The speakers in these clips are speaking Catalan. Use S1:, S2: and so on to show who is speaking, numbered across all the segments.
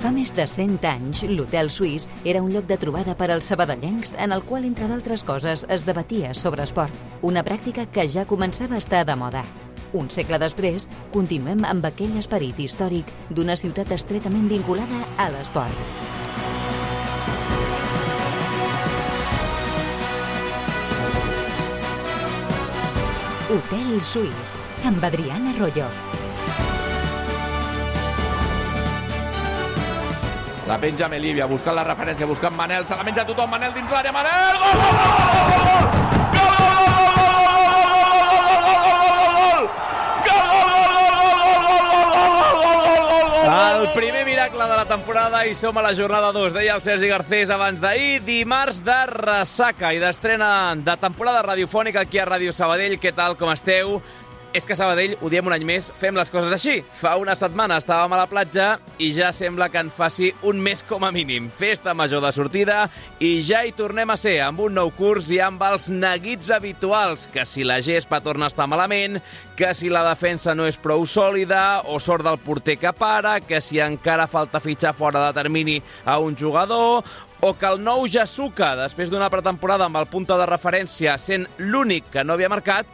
S1: Fa més de 100 anys, l'Hotel Suís era un lloc de trobada per als sabadellencs en el qual, entre d'altres coses, es debatia sobre esport, una pràctica que ja començava a estar de moda. Un segle després, continuem amb aquell esperit històric d'una ciutat estretament vinculada a l'esport. Hotel Suís, amb Adrián Arroyo.
S2: La penja Melívia, buscant la referència, buscant Manel, se la menja tothom, Manel dins l'àrea, Manel! Gol, gol, gol, gol, gol!
S3: El primer miracle de la temporada i som a la jornada 2, deia el Sergi Garcés abans d'ahir, dimarts de ressaca i d'estrena de temporada radiofònica aquí a Ràdio Sabadell. Què tal, com esteu? És que a Sabadell, ho diem un any més, fem les coses així. Fa una setmana estàvem a la platja i ja sembla que en faci un mes com a mínim. Festa major de sortida i ja hi tornem a ser, amb un nou curs i amb els neguits habituals, que si la gespa torna a estar malament, que si la defensa no és prou sòlida o sort del porter que para, que si encara falta fitxar fora de termini a un jugador, o que el nou Yasuka, després d'una pretemporada amb el punta de referència sent l'únic que no havia marcat,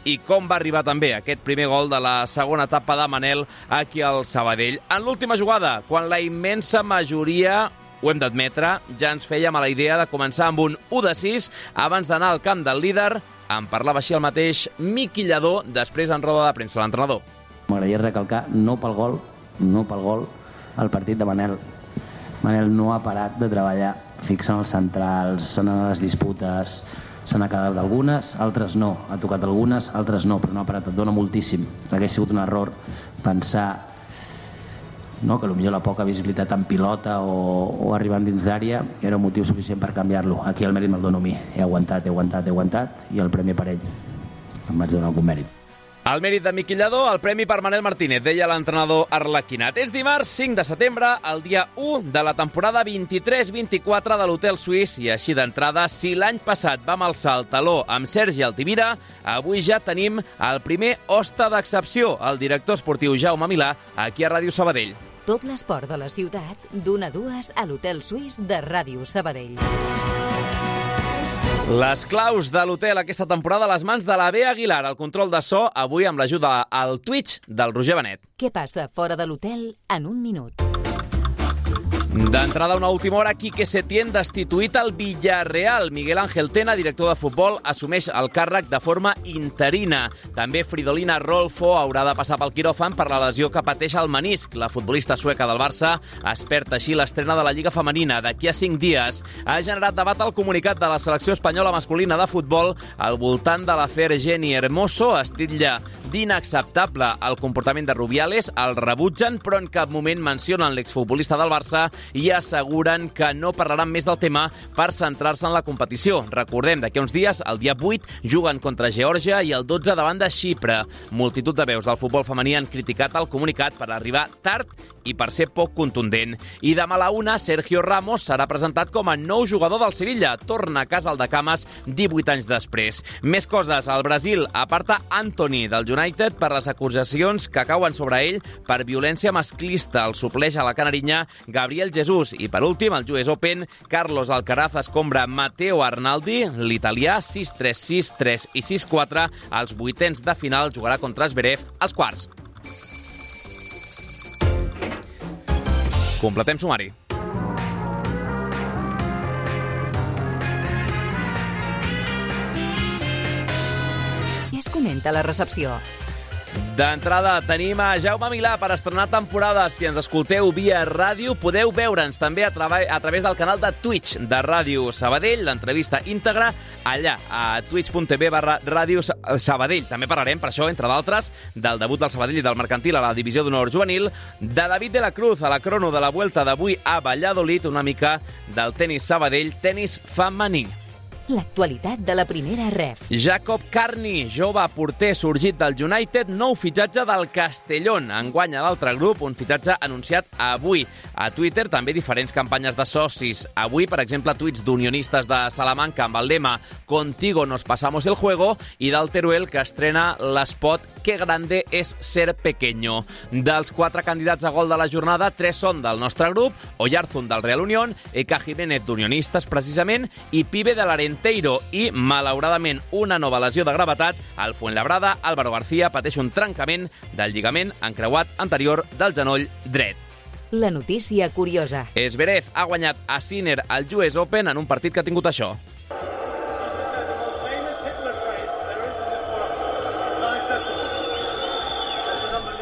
S3: i com va arribar també aquest primer gol de la segona etapa de Manel aquí al Sabadell. En l'última jugada, quan la immensa majoria, ho hem d'admetre, ja ens fèiem a la idea de començar amb un 1-6 abans d'anar al camp del líder. En parlava així el mateix Miqui Lladó, després en roda de premsa, l'entrenador.
S4: M'agradaria recalcar, no pel gol, el partit de Manel. Manel no ha parat de treballar, fixant els centrals, sonant les disputes. Se n'ha quedat d'algunes, altres no. Ha tocat algunes, altres no, però no ha parat. Et dona moltíssim. Hauria sigut un error pensar que potser la poca visibilitat en pilota o arribant dins d'àrea era un motiu suficient per canviar-lo. Aquí el mèrit me'l dono a mi. He aguantat i el premi per ell. Em vaig donar algun mèrit.
S3: El mèrit de Miqui Lladó, el premi per Manel Martínez, deia l'entrenador arlequinat. És dimarts 5 de setembre, el dia 1 de la temporada 23-24 de l'Hotel Suís, i així d'entrada, si l'any passat vam alçar el taló amb Sergi Altimira, avui ja tenim el primer hoste d'excepció, el director esportiu Jaume Milà, aquí a Ràdio Sabadell.
S1: Tot l'esport de la ciutat, d'1 a 2 a l'Hotel Suís de Ràdio Sabadell.
S3: Les claus de l'hotel aquesta temporada a les mans de la Bea Aguilar, el control de so, avui amb l'ajuda al Twitch del Roger Benet.
S1: Què passa fora de l'hotel en un minut?
S3: D'entrada, una última hora, Quique Setién destituït al Villarreal. Miguel Ángel Tena, director de futbol, assumeix el càrrec de forma interina. També Fridolina Rolfo haurà de passar pel quiròfan per la lesió que pateix al menisc. La futbolista sueca del Barça es perd així l'estrena de la Lliga Femenina d'aquí a 5 dies. Ha generat debat el comunicat de la selecció espanyola masculina de futbol al voltant de l'afer Jenny Hermoso. Es titlla d'inacceptable el comportament de Rubiales, el rebutgen, però en cap moment mencionen l'exfutbolista del Barça i asseguren que no parlaran més del tema per centrar-se en la competició. Recordem, d'aquí uns dies, el dia 8, juguen contra Geòrgia i el 12 davant de Xipre. Multitud de veus del futbol femení han criticat el comunicat per arribar tard i per ser poc contundent. I demà a la 1, Sergio Ramos serà presentat com a nou jugador del Sevilla. Torna a casa al de Cames 18 anys després. Més coses. El Brasil aparta Antony del United per les acusacions que cauen sobre ell per violència masclista. El supleix a la canarinya Gabriel Jesús. I per últim, al US Open, Carlos Alcaraz escombra Matteo Arnaldi, l'italià, 6-3, 6-3 i 6-4. Als vuitens de final jugarà contra Zverev als quarts. Completem sumari.
S1: Què es comenta a la recepció?
S3: D'entrada tenim a Jaume Milà per estrenar temporada. Si ens escolteu via ràdio, podeu veure'ns també a través del canal de Twitch de Ràdio Sabadell, l'entrevista íntegra allà, a twitch.tv/Ràdio Sabadell. També parlarem, per això, entre d'altres, del debut del Sabadell i del Mercantil a la divisió d'honor juvenil, de David de la Cruz a la crono de la Vuelta d'avui a Valladolid, una mica del tenis Sabadell, tenis femení.
S1: L'actualitat de la primera ref.
S3: Jacob Carney, jove porter sorgit del United, nou fitxatge del Castellón. Enguany a l'altre grup, un fitxatge anunciat avui. A Twitter també diferents campanyes de socis. Avui, per exemple, tuits d'unionistes de Salamanca amb el lema «Contigo nos pasamos el juego» i del Teruel, que estrena l'espot «Qué grande es ser pequeño». Dels 4 candidats a gol de la jornada, 3 són del nostre grup, Oyarzun del Real Unión, Eka Jiménez d'Unionistes, precisament, i Pibe de l'Arenteiro. I, malauradament, una nova lesió de gravetat. Al Fuenlabrada, Álvaro García pateix un trencament del lligament encreuat anterior del genoll dret.
S1: La notícia curiosa.
S3: Zverev ha guanyat a Sinner al US Open en un partit que ha tingut això.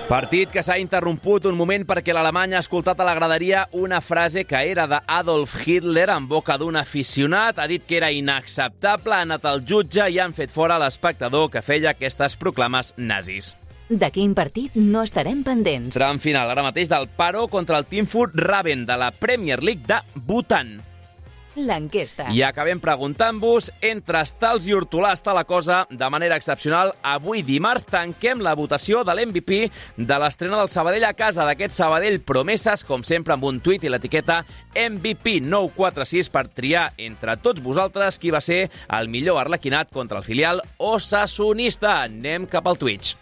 S3: Partit que s'ha interromput un moment perquè l'Alemany ha escoltat a la graderia una frase que era d'Adolf Hitler en boca d'un aficionat. Ha dit que era inacceptable, ha anat al jutge i han fet fora l'espectador que feia aquestes proclames nazis.
S1: De quin partit no estarem pendents?
S3: Tram final ara mateix del Paro contra el Teamfurt Raven de la Premier League de Bhutan.
S1: L'enquesta.
S3: I acabem preguntant-vos, entre estals i hortolà està la cosa de manera excepcional. Avui dimarts tanquem la votació de l'MVP de l'estrena del Sabadell a casa, d'aquest Sabadell Promeses, com sempre amb un tuit i l'etiqueta MVP946 per triar entre tots vosaltres qui va ser el millor arlequinat contra el filial osasonista. Anem cap al Twitch.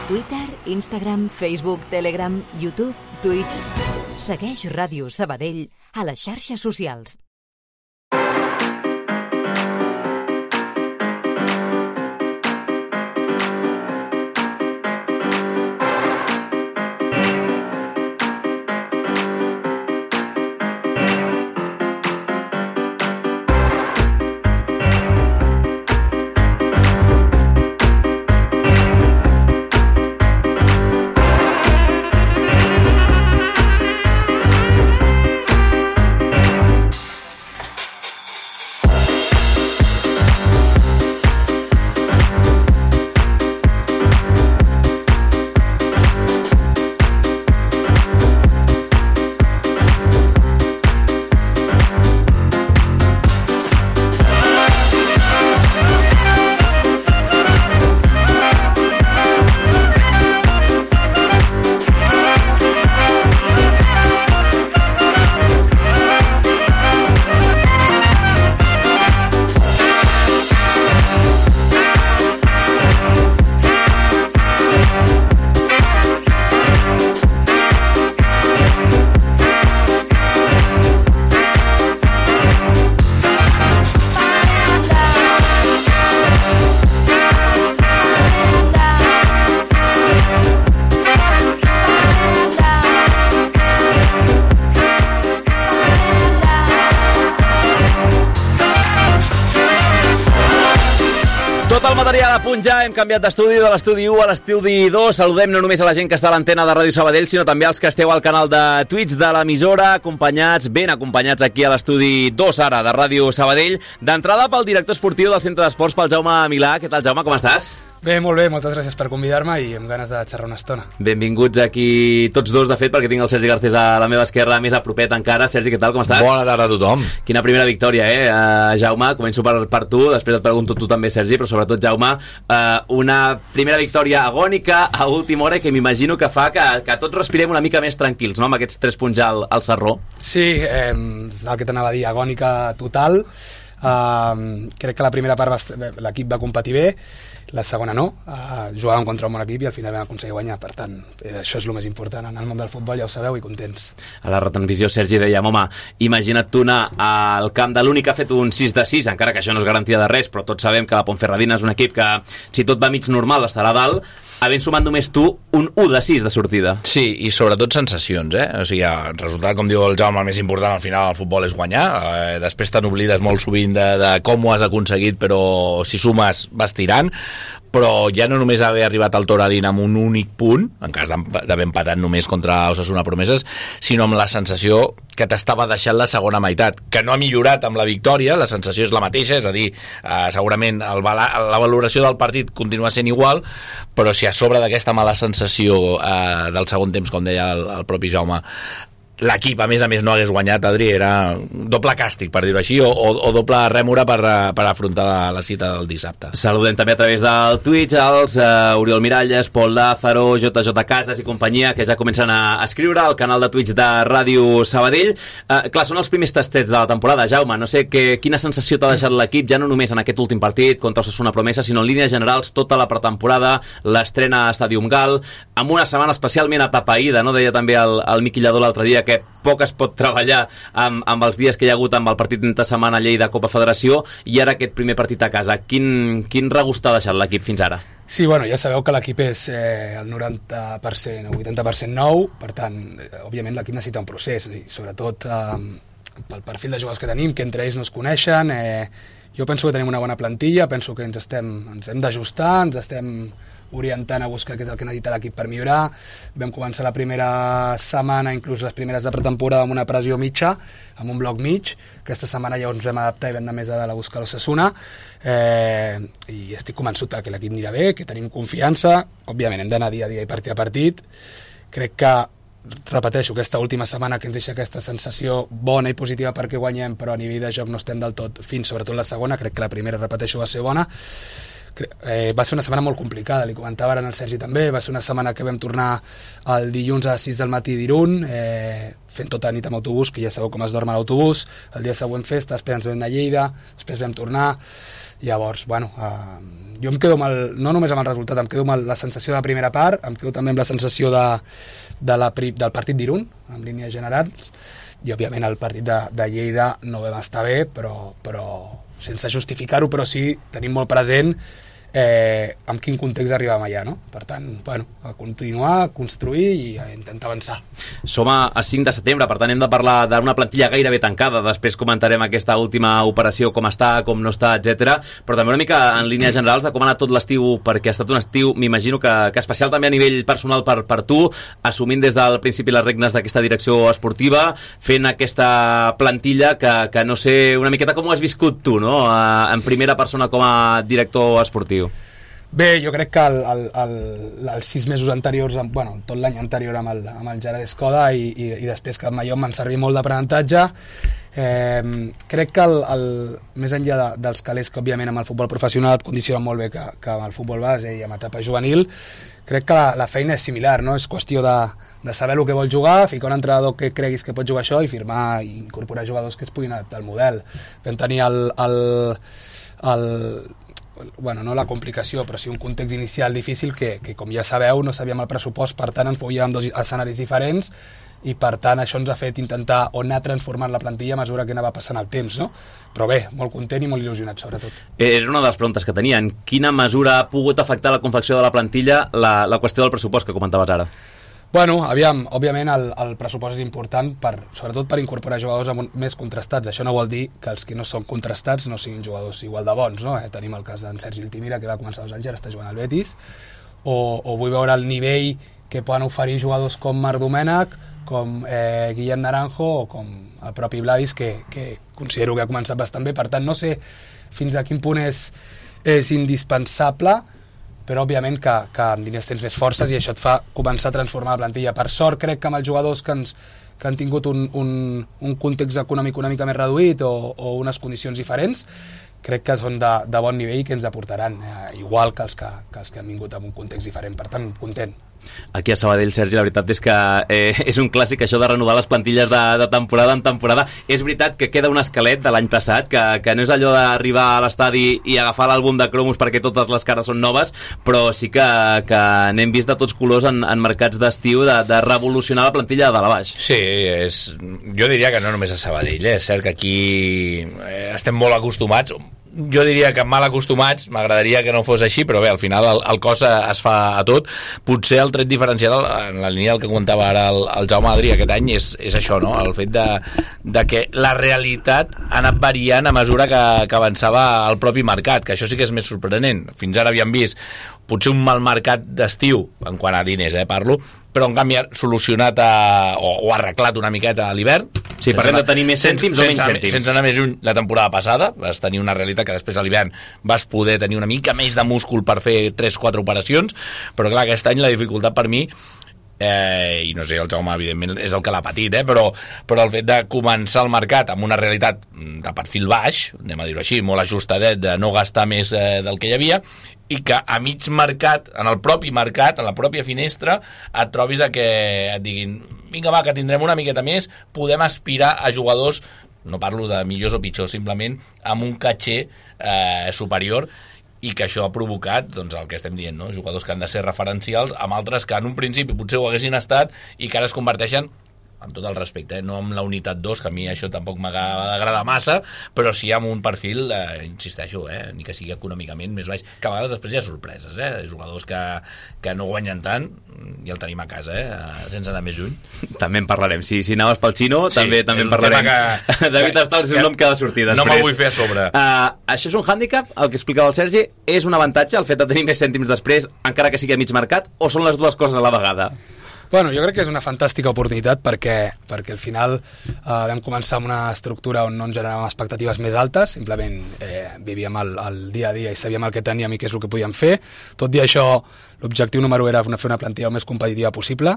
S1: Twitter, Instagram, Facebook, Telegram, YouTube, Twitch. Segueix Ràdio Sabadell a les xarxes socials.
S3: A punt ja, hem canviat d'estudi, de l'estudi 1 a l'estudi 2. Saludem no només a la gent que està a l'antena de Ràdio Sabadell, sinó també als que esteu al canal de Twitch de l'emissora, ben acompanyats aquí a l'estudi 2 ara de Ràdio Sabadell. D'entrada pel director esportiu del Centre d'Esports, pel Jaume Milà. Què tal, Jaume, com estàs?
S5: Bé, molt bé, moltes gràcies per convidar-me i amb ganes de xerrar una estona.
S3: Benvinguts aquí tots dos, de fet, perquè tinc el Sergi Garcés a la meva esquerra, més a propet encara. Sergi, què tal, com estàs?
S6: Bona tarda a tothom.
S3: Quina primera victòria, Jaume? Començo per tu, després et pregunto tu també, Sergi, però sobretot, Jaume, una primera victòria agònica a última hora que m'imagino que fa que tots respirem una mica més tranquils, no?, amb aquests 3 punts al Sarró.
S5: Sí, el que t'anava a dir, agònica total. Crec que la primera part l'equip va competir bé, la segona no, jugàvem contra un bon equip i al final vam aconseguir guanyar. Per tant, això és el més important en el món del futbol, ja ho sabeu, i contents.
S3: A la retransmissió Sergi dèiem, home, imagina't tu anar al camp de l'únic que ha fet un 6-6, encara que això no és garantia de res, però tots sabem que la Ponferradina és un equip que, si tot va mig normal, estarà a dalt, havent sumat només tu un 1-6 de sortida.
S6: Sí, i sobretot sensacions, O sigui, el resultat, com diu el Jaume, el més important al final al futbol és guanyar. Després te n'oblides molt sovint de com ho has aconseguit, però si sumes vas tirant. però ja no només haver arribat al Toralín amb un únic punt, en cas d'haver empatat només contra Osasuna Promeses, sinó amb la sensació que t'estava deixant la segona meitat, que no ha millorat amb la victòria, la sensació és la mateixa, és a dir, segurament la valoració del partit continua sent igual, però si a sobre d'aquesta mala sensació del segon temps, com deia el propi Jaume, l'equip, a més, no hagués guanyat, Adri, era doble càstig, per dir-ho així, o doble rèmora per afrontar la cita del dissabte.
S3: Saludem també a través del Twitch els Oriol Miralles, Pol Lázaro, JJ Casas i companyia, que ja comencen a escriure al canal de Twitch de Ràdio Sabadell. Clar, són els primers tastets de la temporada. Jaume, no sé quina sensació t'ha deixat l'equip, ja no només en aquest últim partit contra Osasuna Promesa, sinó en línies generals tota la pretemporada, l'estrena a Stadium Gal, amb una setmana especialment atapeïda, no? Deia també el Miqui Lladó l'altre dia que poc es pot treballar amb els dies que hi ha hagut amb el partit d'entre setmana a Lleida Copa Federació i ara aquest primer partit a casa. Quin regust t'ha deixat l'equip fins ara?
S5: Sí, bueno, ja sabeu que l'equip és el 90% o 80% nou, per tant, òbviament l'equip necessita un procés, i sobretot pel perfil de jugadors que tenim, que entre ells no es coneixen. Jo penso que tenim una bona plantilla, penso que ens hem d'ajustar, ens estem orientant a buscar què és el que necessita l'equip per millorar. Vam començar la primera setmana, inclús les primeres de pretemporada, amb una pressió mitja, amb un bloc mig. Aquesta setmana ja ens vam adaptar i vam anar més a dalt a buscar l'Osasuna, i estic convençut que l'equip anirà bé, que tenim confiança. Òbviament hem d'anar dia a dia i partit a partit. Crec que, repeteixo, aquesta última setmana que ens deixa aquesta sensació bona i positiva perquè guanyem, però a nivell de joc no estem del tot fins, sobretot la segona. Crec que la primera, repeteixo, va ser bona. Va ser una setmana molt complicada, li comentava ara al Sergi també. Va ser una setmana que vam tornar el dilluns a les 6 del matí d'Irun, fent tota la nit amb autobús, que ja sabeu com es dorm a l'autobús. El dia següent festa, després ens vam anar a Lleida, després vam tornar. Llavors, bueno, jo em quedo no només amb el resultat, em quedo amb la sensació de la primera part, em quedo també amb la sensació del partit d'Irun, en línies generals, i òbviament el partit de Lleida no vam estar bé, però sense justificar-ho, però sí tenim molt present en quin context arribàvem allà, no? Per tant, bueno, a continuar, a construir i a intentar avançar.
S3: Som a 5 de setembre, per tant hem de parlar d'una plantilla gairebé tancada. Després comentarem aquesta última operació, com està, com no està, etc. Però també una mica en línies generals de com ha anat tot l'estiu, perquè ha estat un estiu, m'imagino que especial també a nivell personal per tu, assumint des del principi les regnes d'aquesta direcció esportiva, fent aquesta plantilla que no sé una miqueta com ho has viscut tu, no? En primera persona com a director esportiu.
S5: Bé, jo crec que els 6 mesos anteriors, bueno, tot l'any anterior amb el Gerard Escoda i després que amb allò em van servir molt d'aprenentatge. Crec que més enllà dels calés que òbviament amb el futbol professional et condicionen molt bé que amb el futbol base i amb etapa juvenil, crec que la feina és similar, no? És qüestió de saber el que vols jugar, ficar un entrenador que creguis que pot jugar això i firmar i incorporar jugadors que es puguin adaptar al model. Vam tenir bueno, no la complicació, però sí un context inicial difícil que com ja sabeu, no sabíem el pressupost, per tant ens movíem en 2 escenaris diferents i per tant això ens ha fet intentar o anar transformant la plantilla a mesura que anava passant el temps, no? Però bé, molt content i molt il·lusionat sobretot.
S3: Era una de les preguntes que tenia. En quina mesura ha pogut afectar la confecció de la plantilla la qüestió del pressupost que comentaves ara?
S5: Bueno, aviam, òbviament el pressupost és important sobretot per incorporar jugadors més contrastats. Això no vol dir que els que no són contrastats no siguin jugadors igual de bons, no? Tenim el cas d'en Sergi Altimira, que va començar 2 anys, ara està jugant al Betis, o vull veure el nivell que poden oferir jugadors com Marc Domènech, com Guillem Naranjo o com el propi Vladis, que considero que ha començat bastant bé. Per tant, no sé fins a quin punt és indispensable, però òbviament que amb diners tens més forces i això et fa començar a transformar la plantilla. Per sort, crec que amb els jugadors que han tingut un context econòmic una mica més reduït o unes condicions diferents, crec que són de bon nivell i que ens aportaran, igual que els que han vingut amb un context diferent. Per tant, content.
S3: Aquí a Sabadell, Sergi, la veritat és que és un clàssic això de renovar les plantilles de temporada en temporada. És veritat que queda un esquelet de l'any passat, que no és allò d'arribar a l'estadi i agafar l'àlbum de cromos perquè totes les cares són noves, però sí que n'hem vist de tots colors en mercats d'estiu de revolucionar la plantilla de dalt a baix.
S6: Sí, jo diria que no només a Sabadell, és cert que aquí estem molt acostumats, jo diria que mal acostumats, m'agradaria que no fos així, però bé, al final el cos es fa a tot. Potser el tret diferencial, en la línia del que comentava ara el Jaume Adri aquest any, és això, no? El fet de que la realitat ha anat variant a mesura que avançava el propi mercat, que això sí que és més sorprenent. Fins ara havíem vist potser un mal mercat d'estiu, en quant a diners, parlo, però en canvi ha solucionat o arreglat una miqueta a l'hivern.
S3: Sí, parlem de tenir més cèntims o menys cèntims.
S6: Sense anar més lluny, la temporada passada vas tenir una realitat que després a l'hivern vas poder tenir una mica més de múscul per fer 3-4 operacions, però clar, aquest any la dificultat per mi, i no sé, el Jaume evidentment és el que l'ha patit, però el fet de començar el mercat amb una realitat de perfil baix, anem a dir-ho així, molt ajustadet, de no gastar més del que hi havia, i que a mig mercat, en el propi mercat, en la pròpia finestra, et trobis a que et diguin vinga va, que tindrem una miqueta més, podem aspirar a jugadors, no parlo de millors o pitjors, simplement amb un caché superior, i que això ha provocat doncs, el que estem dient, no? Jugadors que han de ser referencials amb altres que en un principi potser ho haguessin estat i que ara es converteixen, amb tot el respecte, no amb la unitat 2, que a mi això tampoc m'agrada massa, però sí amb un perfil, insisteixo, ni que sigui econòmicament més baix, que a vegades després hi ha sorpreses, jugadors que no guanyen tant, i el tenim a casa, sense anar més lluny.
S3: També en parlarem, si anaves pel xino, sí, també en parlarem. David Estals és un nom que ha de sortir després.
S6: No me'l vull fer a sobre.
S3: Això és un hàndicap, el que explicava el Sergi, és un avantatge el fet de tenir més cèntims després, encara que sigui a mig mercat, o són les dues coses a la vegada?
S5: Bueno, jo crec que és una fantàstica oportunitat perquè al final vam començar amb una estructura on no ens generàvem expectatives més altes, simplement vivíem el dia a dia i sabíem el que teníem i què és el que podíem fer. Tot i això, l'objectiu número 1 era fer una plantilla el més competitiva possible.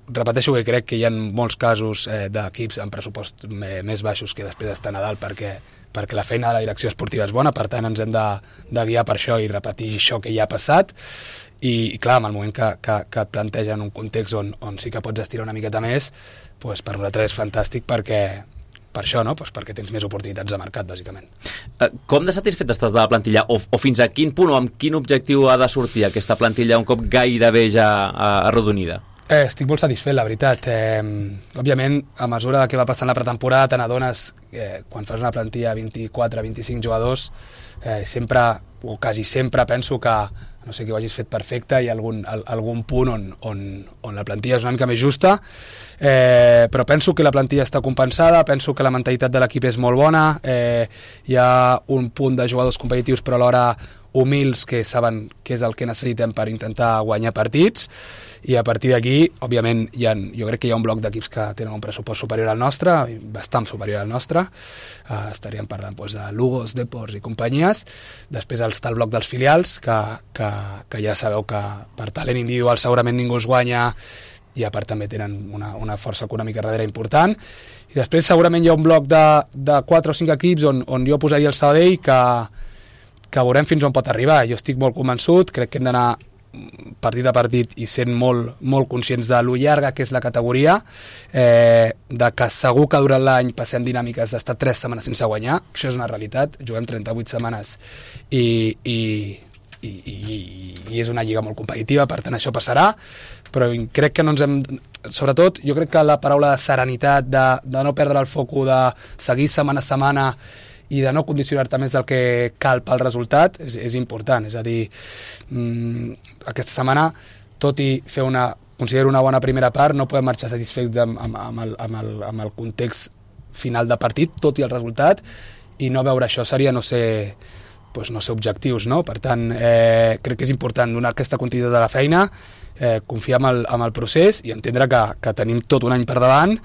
S5: Repeteixo que crec que hi ha molts casos d'equips amb pressupost més baixos que després d'estar a Nadal perquè la feina de la direcció esportiva és bona, per tant ens hem de guiar per això i repetir això que ja ha passat. I clar, en el moment que et plantegen un context on sí que pots estirar una miqueta més, doncs per nosaltres és fantàstic per això, no? Pues perquè tens més oportunitats de mercat, bàsicament.
S3: Com de satisfet estàs de la plantilla? O fins a quin punt o amb quin objectiu ha de sortir aquesta plantilla un cop gairebé ja arrodonida?
S5: Estic molt satisfet, la veritat. Òbviament, a mesura que va passant la pretemporada, te n'adones, quan fas una plantilla de 24-25 jugadors, sempre, o quasi sempre, penso que no sé que ho hagis fet perfecte, hi ha algun punt on la plantilla és una mica més justa, però penso que la plantilla està compensada, penso que la mentalitat de l'equip és molt bona, hi ha un punt de jugadors competitius però alhora humils que saben què és el que necessitem per intentar guanyar partits, i a partir d'aquí, òbviament, jo crec que hi ha un bloc d'equips que tenen un pressupost superior al nostre, bastant superior al nostre, estaríem parlant de Lugos, Deports i companyies. Després està el bloc dels filials, que ja sabeu que per talent individual segurament ningú es guanya, i a part també tenen una força econòmica darrere important. I després segurament hi ha un bloc de 4 o 5 equips on jo posaria el Sabadell que veurem fins on pot arribar. Jo estic molt convençut, crec que hem d'anar partit a partit i sent molt, molt conscients de lo llarga que és la categoria, de que segur que durant l'any passem dinàmiques d'estar 3 setmanes sense guanyar, això és una realitat, juguem 38 setmanes i és una lliga molt competitiva, per tant això passarà, però crec que no ens hem... Sobretot, jo crec que la paraula de serenitat, de no perdre el foco, de seguir setmana a setmana i de no condicionar-te més del que cal pel resultat, és important. És a dir, aquesta setmana, tot i considero una bona primera part, no podem marxar satisfets amb el context final de partit, tot i el resultat, i no veure això seria no ser objectius, no? Per tant, crec que és important donar aquesta continuïtat de la feina, confiar en el procés i entendre que tenim tot un any per davant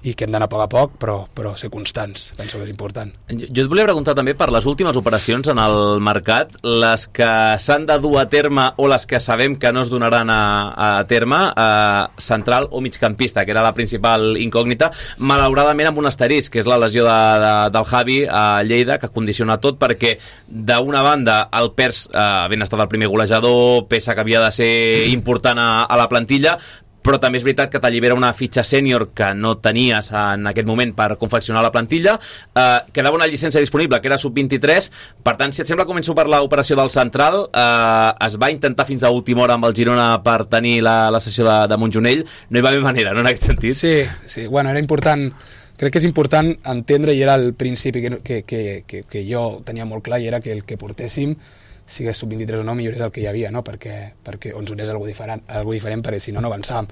S5: i que hem d'anar a poc, però ser constants, penso que és important.
S3: Jo et volia preguntar també per les últimes operacions en el mercat, les que s'han de dur a terme o les que sabem que no es donaran a terme, central o migcampista, que era la principal incògnita, malauradament amb un asterisc, que és la lesió del Javi a Lleida, que condiciona tot, perquè d'una banda el Pers, havent estat el primer golejador, peça que havia de ser important a la plantilla, però també és veritat que t'allibera una fitxa sènior que no tenies en aquest moment per confeccionar la plantilla, quedava una llicència disponible que era sub-23, per tant, si et sembla, començo per l'operació del central. Es va intentar fins a última hora amb el Girona per tenir la sessió de Montjonell, no hi va haver manera, no, en aquest sentit?
S5: Sí, bueno, era important crec que és important entendre, i era el principi que jo tenia molt clar, i era que el que portéssim, sigués sub-23 o no, millor és el que hi havia, no? perquè ens donés algo diferent, perquè si no avançàvem.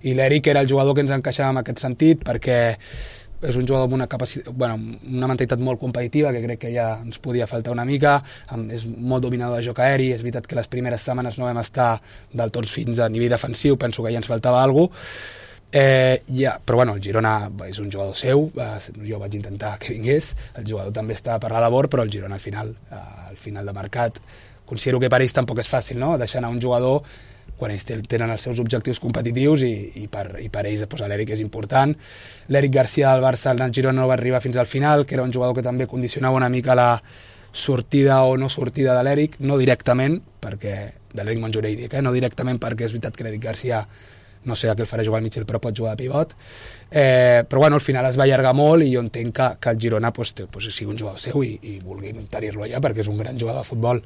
S5: I l'Eric era el jugador que ens encaixava en aquest sentit, perquè és un jugador amb una capacitat, una mentalitat molt competitiva, que crec que ja ens podia faltar una mica, és molt dominador de joc aeri, és veritat que les primeres setmanes no vam estar del tot fins a nivell defensiu, penso que ja ens faltava alguna cosa, però el Girona és un jugador seu, jo vaig intentar que vingués, el jugador també està per la labor, però el Girona al final de mercat, considero que per ells tampoc és fàcil, no? Deixar anar un jugador quan ells tenen els seus objectius competitius i per ells l'Eric és important. L'Eric Garcia del Barça al Girona no va arribar fins al final, que era un jugador que també condicionava una mica la sortida o no sortida de l'Eric, no directament, de l'Eric Montjuïc, no directament perquè és veritat que l'Eric Garcia no sé a què el farà jugar al mig, però pot jugar de pivot, però al final es va allargar molt i jo entenc que el Girona sigui un jugador seu i vulgui tenir-lo allà perquè és un gran jugador de futbol.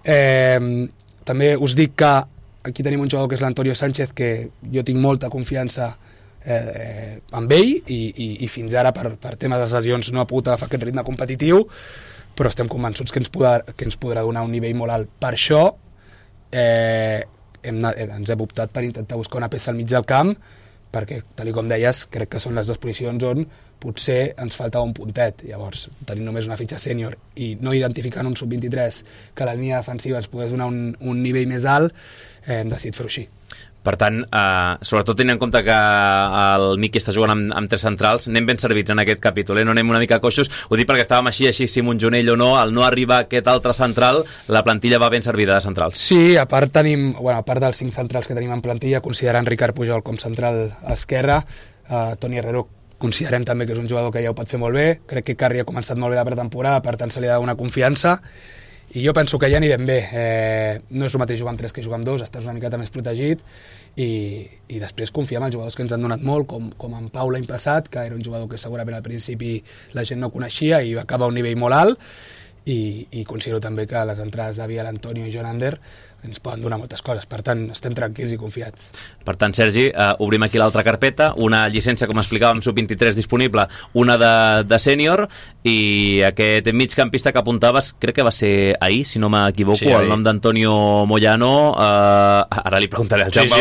S5: També us dic que aquí tenim un jugador que és l'Antonio Sánchez, que jo tinc molta confiança amb ell i fins ara per temes de lesions no ha pogut agafar aquest ritme competitiu, però estem convençuts que ens podrà donar un nivell molt alt. Per això ens hem optat per intentar buscar una peça al mig del camp, perquè, tal com deies, crec que són les dues posicions on potser ens faltava un puntet. Llavors, tenint només una fitxa sènior i no identificant un sub-23 que la línia defensiva ens pogués donar un nivell més alt, hem decidit fer-ho així.
S3: Per tant, sobretot tenint en compte que el Miqui està jugant amb tres centrals, anem ben servits en aquest capítol, no anem una mica coixos. Ho dic perquè estàvem així si Montjonell o no, al no arribar aquest altre central, la plantilla va ben servida de centrals.
S5: Sí, a part dels 5 centrals que tenim en plantilla, considerant Ricard Pujol com central esquerra, Toni Herrero considerem també que és un jugador que ja ho pot fer molt bé, crec que Carri ha començat molt bé la pretemporada, per tant se li ha de donar confiança, i jo penso que ja anirem bé. No és el mateix jugar amb 3 que jugar amb 2, estàs una miqueta més protegit, i després confiar en els jugadors que ens han donat molt, com en Pau l'any passat, que era un jugador que segurament al principi la gent no coneixia i va acabar a un nivell molt alt, i considero també que les entrades de Biel, Antonio i John Ander ens poden donar moltes coses, per tant estem tranquils i confiats.
S3: Per tant, Sergi, obrim aquí l'altra carpeta, una llicència, com explicàvem, sub-23 disponible, una de sènior, i aquest migcampista que apuntaves, crec que va ser ahir, si no m'equivoco, sí, el nom d'Antonio Moyano, ara li preguntaré al Jaume.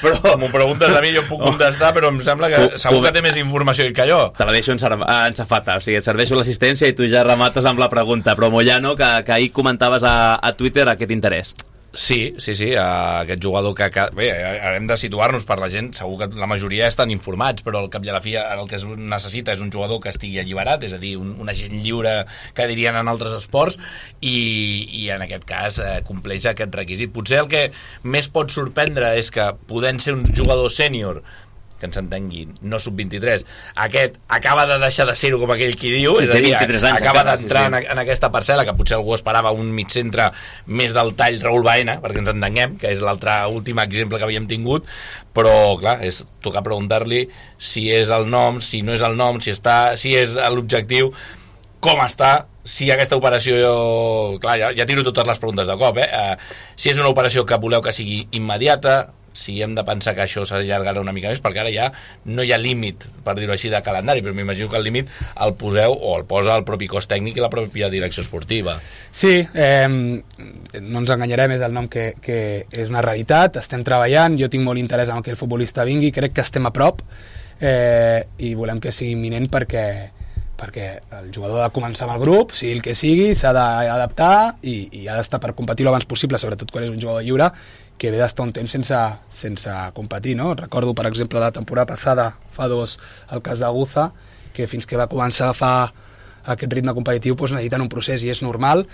S6: Però m'ho preguntes a mi, jo puc contestar, però em sembla que segur que té més informació que jo.
S3: Te la deixo en safata, o sigui, et serveixo l'assistència i tu ja remates amb la pregunta, però Moyano, que ahir comentaves a Twitter aquest interès.
S6: Sí, aquest jugador que bé, hem de situar-nos per la gent, segur que la majoria estan informats, però al cap i a la fi el que es necessita és un jugador que estigui alliberat, és a dir, un agent lliure que dirien en altres esports, i en aquest cas compleix aquest requisit. Potser el que més pot sorprendre és que, podent ser un jugador sènior, que ens entenguin, no sub-23, aquest acaba de deixar de ser-ho, com aquell qui diu,
S3: sí,
S6: és a dir, acaba
S3: encara,
S6: d'entrar en aquesta parcel·la, que potser algú esperava un mig-centre més del tall Raúl Baena, perquè ens entenguem, que és l'altre últim exemple que havíem tingut, però clar, és tocar preguntar-li si és el nom, si no és el nom, si és l'objectiu, com està, si aquesta operació, clar, ja tiro totes les preguntes de cop, si és una operació que voleu que sigui immediata, si hem de pensar que això s'allargarà una mica més, perquè ara ja no hi ha límit, per dir-ho així, de calendari, però m'imagino que el límit el poseu o el posa el propi cos tècnic i la pròpia direcció esportiva.
S5: Sí, no ens enganyarem, és el nom que és una realitat, estem treballant, jo tinc molt interès en que el futbolista vingui, crec que estem a prop, i volem que sigui imminent perquè el jugador ha de començar amb el grup, sigui el que sigui, s'ha d'adaptar i ha d'estar per competir el abans possible, sobretot quan és un jugador lliure, que ve d'estar un temps sense competir, no? Recordo, per exemple, la temporada passada, fa 2, el cas d'Aguza, que fins que va començar a agafar aquest ritme competitiu necessiten un procés i és normal,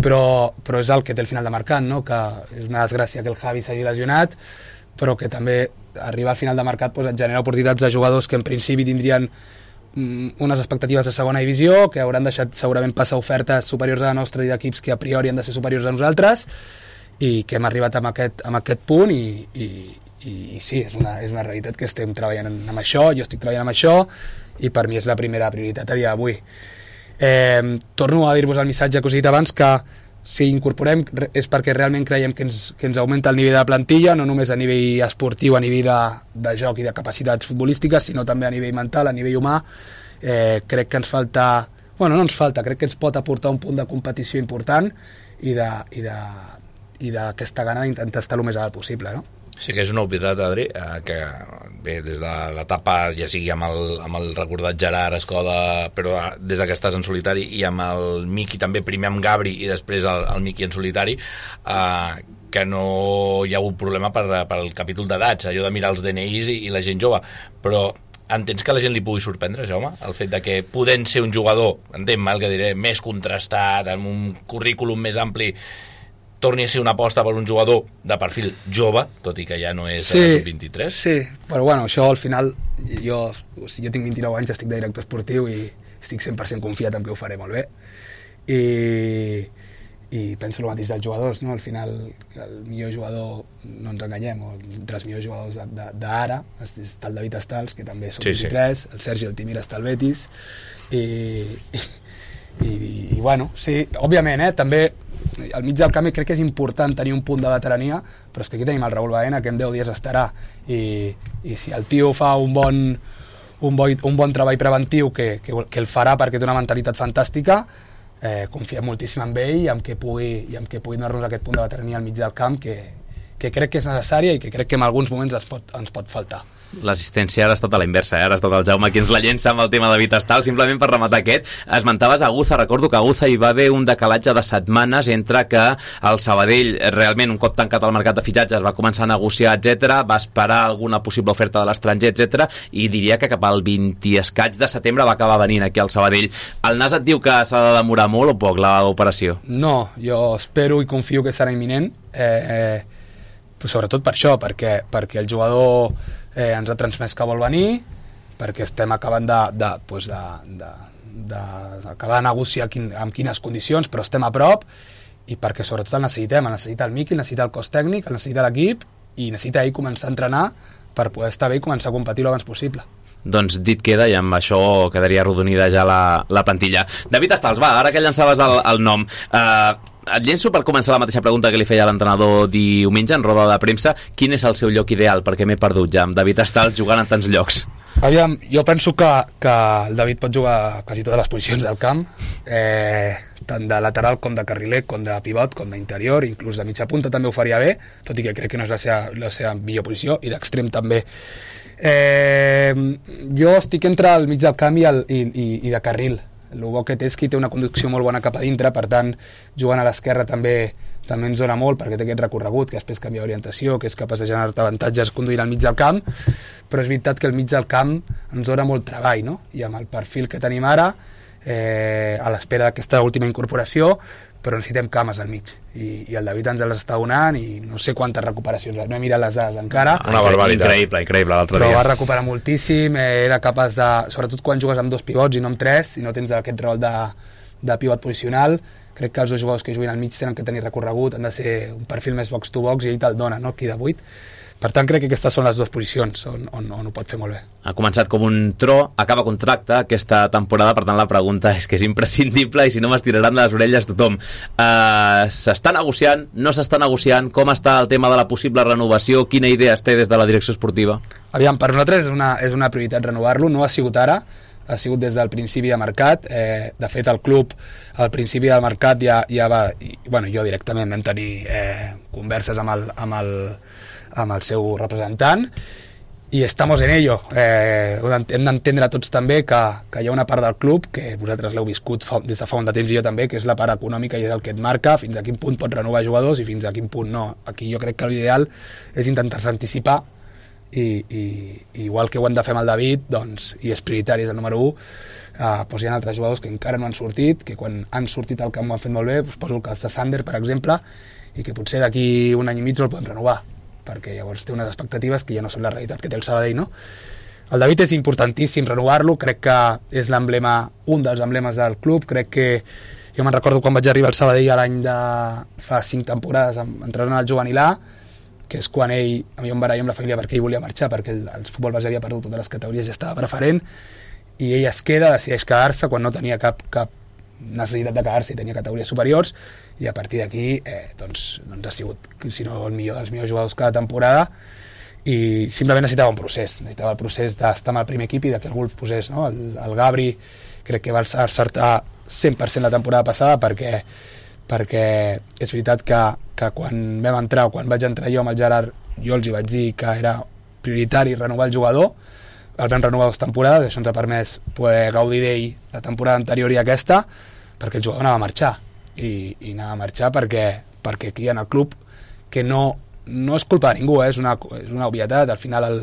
S5: però és el que té el final de mercat, no? Que és una desgràcia que el Javi s'hagi lesionat, però que també arribar al final de mercat et genera oportunitats de jugadors que en principi tindrien unes expectatives de segona divisió, que hauran deixat segurament passar ofertes superiors a la nostra i d'equips que a priori han de ser superiors a nosaltres, i que hem arribat amb aquest punt i sí, és una realitat que estem treballant amb això, jo estic treballant amb això i per mi és la primera prioritat a dia d'avui. Torno a dir-vos el missatge que us he dit abans, que si incorporem és perquè realment creiem que ens augmenta el nivell de la plantilla, no només a nivell esportiu, a nivell de joc i de capacitats futbolístiques, sinó també a nivell mental, a nivell humà. Crec que ens falta, no ens falta, crec que ens pot aportar un punt de competició important i d'aquesta gana d'intentar estar el més alt possible, no?
S6: Sí que és una obvietat, Adri, que bé, des de l'etapa, ja sigui amb el recordat Gerard Escoda, però des que estàs en solitari, i amb el Miqui també, primer amb Gabri i després el Miqui en solitari, que no hi ha hagut problema pel capítol d'edats, allò de mirar els DNIs i la gent jove, però entens que la gent li pugui sorprendre, Jaume? El fet de que podent ser un jugador, entenc el que diré, més contrastat, amb un currículum més ampli, torni a ser una aposta per un jugador de perfil jove, tot i que ja no és sub-23.
S5: Sí, però això al final, jo tinc 29 anys, estic de director esportiu i estic 100% confiat en que ho faré molt bé. I penso el mateix dels jugadors, no? Al final, el millor jugador, no ens enganyem, entre els millors jugadors d'ara, està el David Estals, que també és sub-23, el Sergi Altimira està al Betis, i sí, òbviament, també al mig del camp crec que és important tenir un punt de veterania, però és que aquí tenim el Raúl Baena, que en 10 dies estarà, i si el tio fa un bon treball preventiu, que el farà perquè té una mentalitat fantàstica, confiem moltíssim en ell i en que pugui donar-nos aquest punt de veterania al mig del camp, que crec que és necessària i que crec que en alguns moments ens pot faltar.
S3: L'assistència ara ha estat a la inversa, ara ha estat el Jaume qui ens la llença amb el tema de David Estal. Simplement per rematar aquest, esmentaves Aguza, recordo que a Aguza hi va haver un decalatge de setmanes entre que el Sabadell, realment un cop tancat el mercat de fitxatges, va començar a negociar, etc, va esperar alguna possible oferta de l'estranger, etc, i diria que cap al 20 i escaig de setembre va acabar venint aquí al Sabadell. El Nas et diu que s'ha de demorar molt o poc l'operació?
S5: No, jo espero i confio que serà imminent, sobretot per això, perquè el jugador ens ha transmès que vol venir, perquè estem acabant d'acabar de negociar amb quines condicions, però estem a prop, i perquè sobretot el necessita el Miqui, el necessita el cos tècnic, el necessita l'equip, i necessita ell començar a entrenar per poder estar bé i començar a competir l'abans possible.
S3: Doncs dit queda, i amb això quedaria arrodonida ja la plantilla. David Estals, va, ara que llançaves el nom, et llenço per començar la mateixa pregunta que li feia l'entrenador diumenge en roda de premsa. Quin és el seu lloc ideal? Perquè m'he perdut ja amb David Estals jugant en tants llocs.
S5: Aviam, jo penso que el David pot jugar a quasi totes les posicions del camp, tant de lateral com de carriler, com de pivot, com d'interior, inclús de mitja punta també ho faria bé, tot i que crec que no és la seva millor posició, i d'extrem també. Jo estic entre el mig del camp i de carril. El bo que té és que té una conducció molt bona cap a dintre, per tant, jugant a l'esquerra també ens dona molt, perquè té aquest recorregut, que després canvia d'orientació, que és capaç de generar-te avantatges conduint al mig del camp, però és veritat que el mig del camp ens dona molt treball, no? I amb el perfil que tenim ara, a l'espera d'aquesta última incorporació, però necessitem cames al mig, i el David ens les està donant, i no sé quantes recuperacions, no he mirat les dades encara.
S6: Una barbaritat.
S3: Increïble l'altre dia.
S5: Però va recuperar moltíssim, era capaç de, sobretot quan jugues amb 2 pivots i no amb 3, i no tens aquest rol de pivot posicional, crec que els 2 jugadors que juguen al mig tenen que tenir recorregut, han de ser un perfil més box to box, i ell te'l dona, no? Aquí de 8. Per tant, crec que aquestes són les 2 posicions on ho pot fer molt bé.
S3: Ha començat com un tro, acaba contracte aquesta temporada, per tant la pregunta és que és imprescindible i si no m'estiraran de les orelles tothom. S'està negociant, no s'està negociant? Com està el tema de la possible renovació? Quina idea es té des de la direcció esportiva?
S5: Aviam, per nosaltres és una prioritat renovar-lo, no ha sigut ara, ha sigut des del principi de mercat. De fet, el club al principi del mercat ja va, jo directament vam tenir converses amb el seu representant, i estamos en ello. Hem d'entendre tots també que hi ha una part del club, que vosaltres l'heu viscut des de fa un de temps, i jo també, que és la part econòmica, i és el que et marca fins a quin punt pots renovar jugadors i fins a quin punt no. Aquí jo crec que l'ideal és intentar-se anticipar, i igual que ho hem de fer amb el David, doncs, i és prioritari, és el número 1, doncs hi ha altres jugadors que encara no han sortit, que quan han sortit al camp ho han fet molt bé, poso el cas de Sander, per exemple, i que potser d'aquí un any i mig no el podem renovar, perquè llavors té unes expectatives que ja no són la realitat que té el Sabadell, no? El David és importantíssim renovar-lo, crec que és l'emblema, un dels emblemes del club. Crec que jo me'n recordo quan vaig arribar al Sabadell a l'any de fa 5 temporades entrant al juvenil A, que és quan ell, a mi em barallo amb la família perquè ell volia marxar, perquè el futbol base havia perdut totes les categories i estava preferent, i ell es queda, decideix quedar-se quan no tenia cap necessitat de quedar-se, tenia categories superiors, i a partir d'aquí doncs ha sigut, si no el millor dels millors jugadors cada temporada, i simplement necessitava un procés, necessitava el procés d'estar amb el primer equip i que algú el posés, no? El Gabri crec que va acertar 100% la temporada passada perquè és veritat que quan vam entrar, o quan vaig entrar jo amb el Gerard, jo els hi vaig dir que era prioritari renovar el jugador, el vam renovar 2 temporades, això ens ha permès poder gaudir d'ell la temporada anterior i aquesta, perquè el jugador anava a marxar, i anava a marxar perquè aquí en el club, que no és culpa de ningú, és una obvietat, al final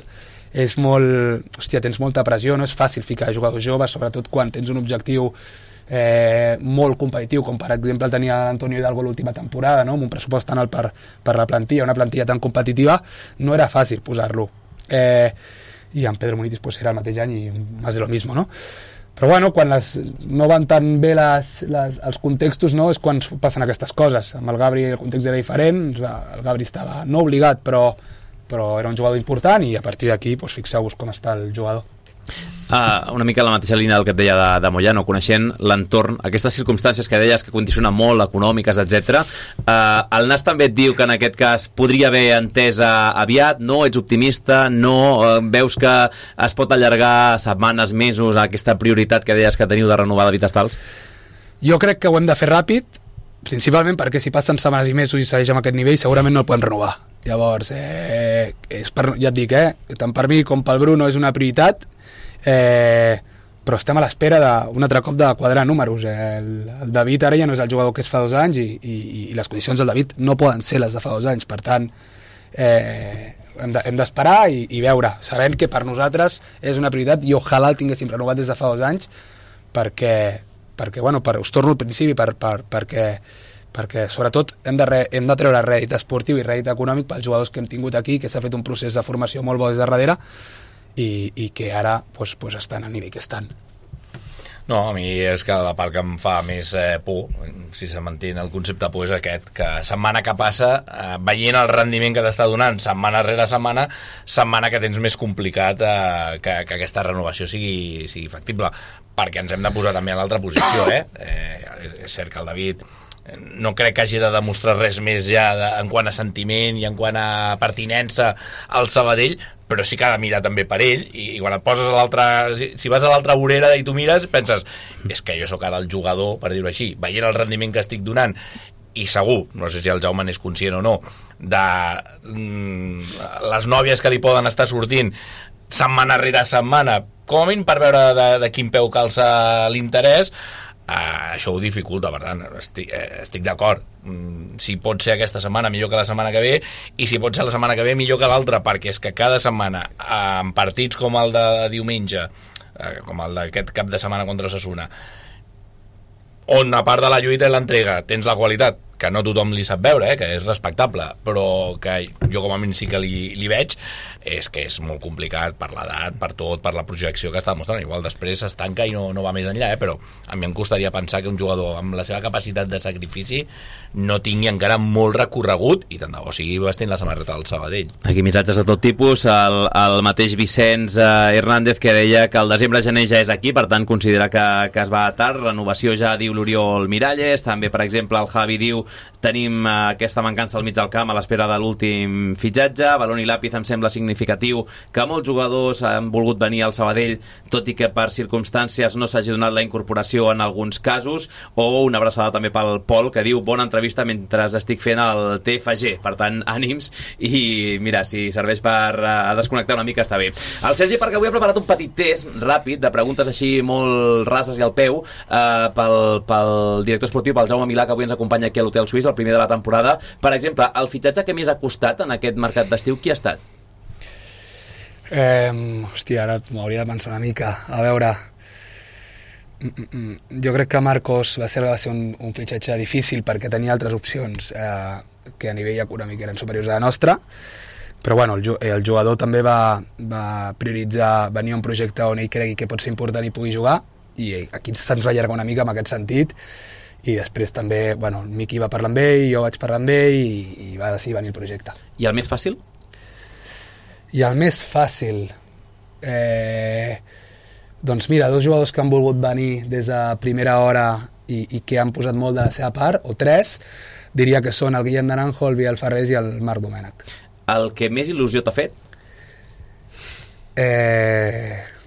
S5: és molt... Hòstia, tens molta pressió, no és fàcil ficar jugadors joves, sobretot quan tens un objectiu molt competitiu, com per exemple el tenia Antonio Hidalgo l'última temporada, no? Amb un pressupost tan alt per la plantilla, una plantilla tan competitiva, no era fàcil posar-lo. I en Pedro Munitis pues, era el mateix any i més de lo mismo, no? Però bueno, quan no van tan bé els contextos, no? És quan passen aquestes coses. Amb el Gabri el context era diferent, el Gabri estava no obligat, però era un jugador important, i a partir d'aquí pues, fixeu-vos com està el jugador.
S3: Una mica la mateixa línia del que et deia de Moyano, coneixent l'entorn, aquestes circumstàncies que deies que condicionen molt, econòmiques, etc. El Nas també et diu que en aquest cas podria haver entesa aviat, no? Ets optimista, no? Veus que es pot allargar setmanes, mesos, aquesta prioritat que deies que teniu de renovar David Estals?
S5: Jo crec que ho hem de fer ràpid, principalment perquè si passen setmanes i mesos i segueix amb aquest nivell segurament no el podem renovar. Llavors, ja et dic, tant per mi com pel Bruno és una prioritat, però estem a l'espera d'un altre cop de quadrar números. El David ara ja no és el jugador que és fa 2 anys i les condicions del David no poden ser les de fa 2 anys, per tant hem d'esperar i veure, sabent que per nosaltres és una prioritat i ojalà el tinguéssim renovat des de fa 2 anys perquè bueno, us torno al principi, perquè sobretot hem de treure rèdit esportiu i rèdit econòmic pels jugadors que hem tingut aquí, que s'ha fet un procés de formació molt bo des de darrere i que ara pues, estan al nivell que estan.
S6: No, a mi és que la part que em fa més por, si se manté el concepte por, és aquest, que setmana que passa, veient el rendiment que t'està donant setmana rere setmana que tens més complicat que aquesta renovació sigui factible, perquè ens hem de posar també a l'altra posició, és cert que el David no crec que hagi de demostrar res més ja en quant a sentiment i en quant a pertinença al Sabadell, però sí que ha de mirar també per ell, i quan et poses a l'altra, si vas a l'altra vorera i tu mires, penses, és que jo sóc ara el jugador, per dir-ho així, veient el rendiment que estic donant, i segur, no sé si el Jaume n'és conscient o no, de les nòvies que li poden estar sortint setmana rere setmana, com a mínim per veure de quin peu calça l'interès, això ho dificulta, per tant estic d'acord, si pot ser aquesta setmana millor que la setmana que ve, i si pot ser la setmana que ve millor que l'altra, perquè és que cada setmana en partits com el de diumenge, com el d'aquest cap de setmana contra Osasuna, on a part de la lluita i l'entrega tens la qualitat que no tothom li sap veure, que és respectable, però que jo com a mínim sí que li veig, és que és molt complicat per l'edat, per tot, per la projecció que està mostrant. Igual després s'estanca i no va més enllà, però a mi em costaria pensar que un jugador amb la seva capacitat de sacrifici no tingui encara molt recorregut, i tant de bo sigui vestint la samarreta del Sabadell.
S3: Aquí missatges de tot tipus, el mateix Vicenç Hernández que deia que el desembre-gener ja és aquí, per tant considera que es va tard, renovació ja diu l'Oriol Miralles, també per exemple el Javi diu tenim aquesta mancança al mig del camp a l'espera de l'últim fitxatge. Balón i Lápiz em sembla significatiu que molts jugadors han volgut venir al Sabadell tot i que per circumstàncies no s'hagi donat la incorporació en alguns casos. O una abraçada també pel Pol que diu bona entrevista mentre estic fent el TFG, per tant ànims, i mira, si serveix per desconnectar una mica està bé. El Sergi, perquè avui ha preparat un petit test ràpid de preguntes així molt rases i al peu pel director esportiu, pel Jaume Milà, que avui ens acompanya aquí a l'Hotel Suís, el primer de la temporada. Per exemple, el fitxatge que més ha costat en aquest mercat d'estiu, qui ha estat?
S5: Hòstia, ara m'hauria de pensar una mica. A veure, jo crec que Marcos va ser un fitxatge difícil perquè tenia altres opcions que a nivell econòmic eren superiors a la nostra, però bueno, el jugador també va prioritzar venir a un projecte on ell cregui que pot ser important i pugui jugar, i aquí se'ns va allargar una mica en aquest sentit. I després també, bueno, el Miqui va parlar amb ell, jo vaig parlar amb ell i va decidir venir el projecte.
S3: I el més fàcil?
S5: I el més fàcil... doncs mira, 2 jugadors que han volgut venir des de primera hora i que han posat molt de la seva part, o 3, diria que són el Guillem Naranjo, el Biel Ferrés i el Marc Domènech.
S3: El que més il·lusió t'ha fet?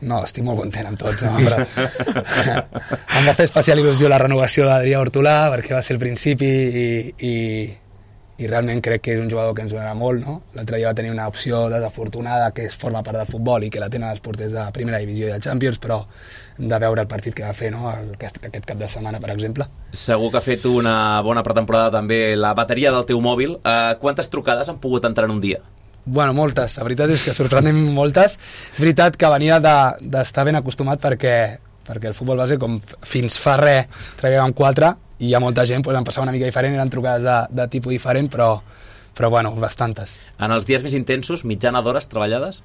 S5: No, estic molt content amb tots, no? Però em va fer especial il·lusió la renovació d'Adrià Hortolà, perquè va ser el principi i realment crec que és un jugador que ens donarà molt, no? L'altre dia va tenir una opció desafortunada que forma part del futbol i que la tenen els porters de primera divisió i del Champions, però hem de veure el partit que va fer, no? Aquest cap de setmana, per exemple.
S3: Segur que ha fet una bona pretemporada també la bateria del teu mòbil. Quantes trucades han pogut entrar en un dia?
S5: Bueno, moltes, la veritat és que sorprenen moltes. És veritat que venia d'estar ben acostumat perquè el futbol base, com fins fa res, treballàvem 4 i hi ha molta gent, doncs em passava una mica diferent, eren trucades de tipus diferent, però bueno, bastantes.
S3: En els dies més intensos, mitjana d'hores treballades?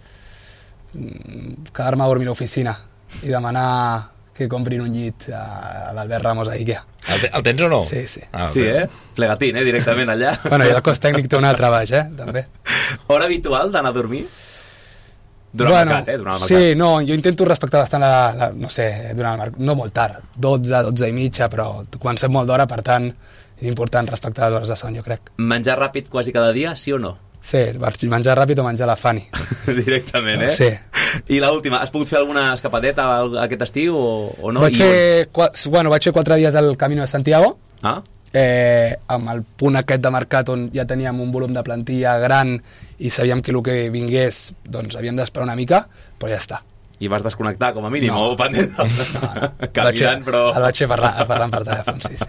S5: Quedar-me a dormir a l'oficina i demanar que comprin un llit a l'Albert Ramos a Ikea.
S6: El tens o no?
S5: Sí.
S3: Sí, plegatín, directament allà.
S5: Bueno, i el cos tècnic té un altre baix, també.
S3: Hora habitual d'anar a dormir? Durant el mercat, durant el mercat.
S5: Sí, no, jo intento respectar bastant no sé, durant el mercat, no molt tard, 12 i mitja, però quan sé molt d'hora, per tant, és important respectar les hores de son, jo crec.
S3: Menjar ràpid quasi cada dia, sí o no?
S5: Sí, menjar ràpid o menjar la Fanny.
S3: Directament,
S5: Sí.
S3: I l'última, has pogut fer alguna escapadeta aquest estiu o no?
S5: Vaig fer 4 dies al Camino de Santiago, amb el punt aquest de mercat on ja teníem un volum de plantilla gran i sabíem que el que vingués doncs havíem d'esperar una mica, però ja està.
S3: I vas desconnectar, com a mínim, o pendent?
S5: No.
S3: Caminant, però...
S5: El vaig fer parlant per telèfon, sí.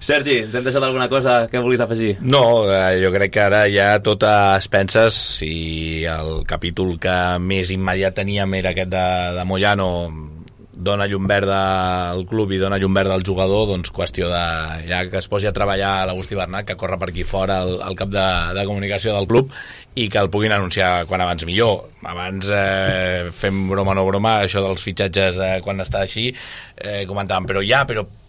S3: Sergi, t'hem deixat alguna cosa que vulguis afegir?
S6: No, jo crec que ara ja tot es penses, si el capítol que més immediat teníem era aquest de Moyano, dona llum verda al club i dona llum verda al jugador, doncs qüestió de ja que es posi a treballar l'Agustí Bernat, que corre per aquí fora el cap de comunicació del club, i que el puguin anunciar quan abans millor. Abans fem broma o no broma, això dels fitxatges quan està així, comentàvem, però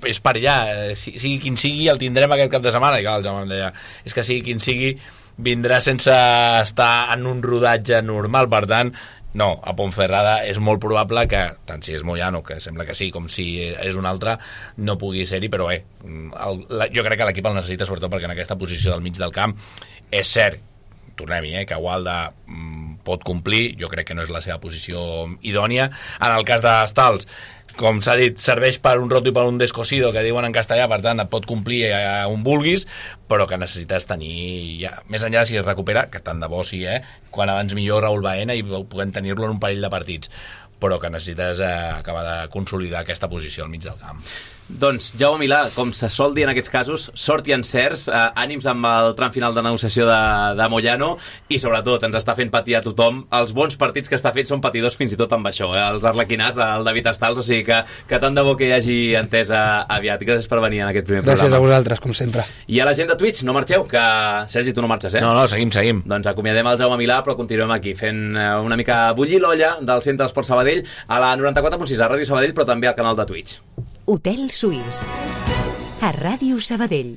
S6: és per allà, sigui quin sigui el tindrem aquest cap de setmana, i clar, el Jaume em deia, és que sigui quin sigui vindrà sense estar en un rodatge normal, per tant no, a Ponferrada és molt probable que, tant si és Moyano, que sembla que sí, com si és un altre, no pugui ser-hi, però jo crec que l'equip el necessita, sobretot perquè en aquesta posició del mig del camp és cert, tornem-hi, que Gualda pot complir, jo crec que no és la seva posició idònia. En el cas d'Estals, com s'ha dit, serveix per un roto i per un descosido, que diuen en castellà, per tant et pot complir on vulguis, però que necessites tenir, ja, més enllà si es recupera, que tant de bo sí, quan abans millor Raúl Baena i puguem tenir-lo en un parell de partits, però que necessites acabar de consolidar aquesta posició al mig del camp.
S3: Doncs, Jaume Milà, com se sol dir en aquests casos, sort i encerts, ànims amb el tram final de negociació de Moyano i, sobretot, ens està fent patir a tothom. Els bons partits que està fent són patidors fins i tot amb això, els arlequinats, el David Estals, o sigui que tant de bo que hi hagi entesa aviat. Gràcies per venir en aquest primer programa.
S5: Gràcies a vosaltres, com sempre.
S3: I a la gent de Twitch, no marxeu, que Sergi, tu no marxes,
S6: No, seguim.
S3: Doncs acomiadem el Jaume Milà, però continuem aquí, fent una mica bullir l'olla del Centre d'Esport Sabadell a la 94.6 a Ràdio Sabadell, però també al canal de Twitch.
S1: Hotel Suís, a Ràdio Sabadell.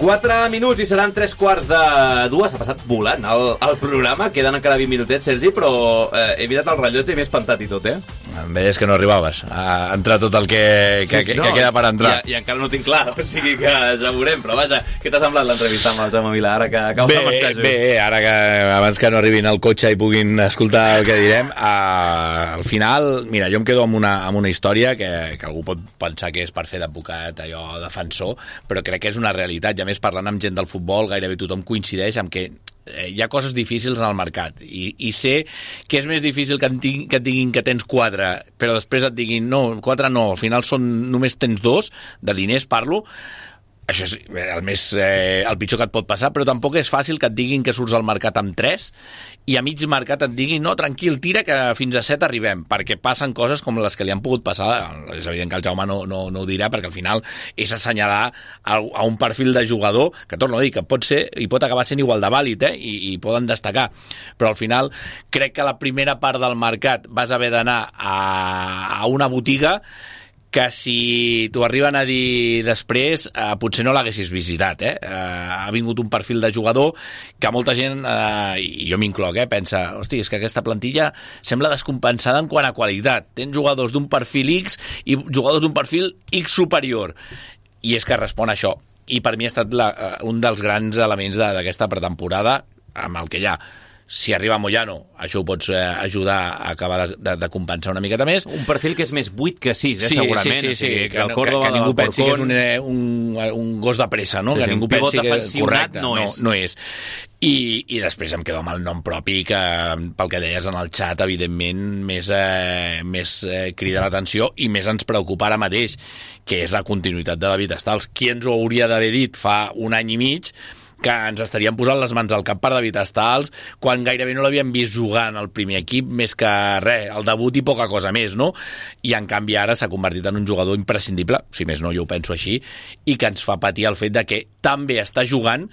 S3: Quatre minuts i seran 3:15. Ha passat volant el programa. Queden encara 20 minutets, Sergi, però he mirat el rellotge i m'he espantat i tot,
S6: Em veies que no arribaves a entrar tot el que queda per entrar.
S3: I encara no tinc clar, o sigui que ja ho veurem, però vaja, què t'ha semblat l'entrevista amb el Jaume Milà, ara que
S6: Bé, ara que abans que no arribin al cotxe i puguin escoltar el que direm, al final, mira, jo em quedo amb una història que algú pot pensar que és per fer d'advocat, allò, defensor, però crec que és una realitat, i a més parlant amb gent del futbol gairebé tothom coincideix amb que hi ha coses difícils en el mercat i sé que és més difícil que et diguin que tens 4 però després et diguin no, 4 no, al final només tens 2, de diners parlo, això és el pitjor que et pot passar, però tampoc és fàcil que et diguin que surts al mercat amb 3 i a mig mercat et diguin no, tranquil, tira que fins a 7 arribem, perquè passen coses com les que li han pogut passar. És evident que el Jaume no ho dirà, perquè al final és assenyalar a un perfil de jugador que, torno a dir, que pot ser i pot acabar sent igual de vàlid, i poden destacar, però al final crec que la primera part del mercat vas haver d'anar a una botiga que si t'ho arriben a dir després potser no l'haguessis visitat. Ha vingut un perfil de jugador que molta gent, i jo m'incloc, pensa, hosti, és que aquesta plantilla sembla descompensada en quant a qualitat. Tens jugadors d'un perfil X i jugadors d'un perfil X superior. I és que respon a això. I per mi ha estat un dels grans elements d'aquesta pretemporada, amb el que hi ha. Si arriba Moyano, això ho pots ajudar a acabar de compensar una miqueta més.
S3: Un perfil que és més 8 que 6, segurament.
S6: Sí. Que ningú pensi que és un gos de pressa, no? Que ningú pensi que és correcte. No és. I després em quedo amb el nom propi, que pel que deies en el xat, evidentment, més crida l'atenció i més ens preocupa ara mateix, que és la continuïtat de David Stals. Qui ens ho hauria d'haver dit fa un any i mig que ens estaríem posant les mans al cap per David Stals quan gairebé no l'havíem vist jugar en el primer equip, més que res, el debut i poca cosa més, no? I en canvi ara s'ha convertit en un jugador imprescindible, si més no jo ho penso així, i que ens fa patir el fet de que tan bé està jugant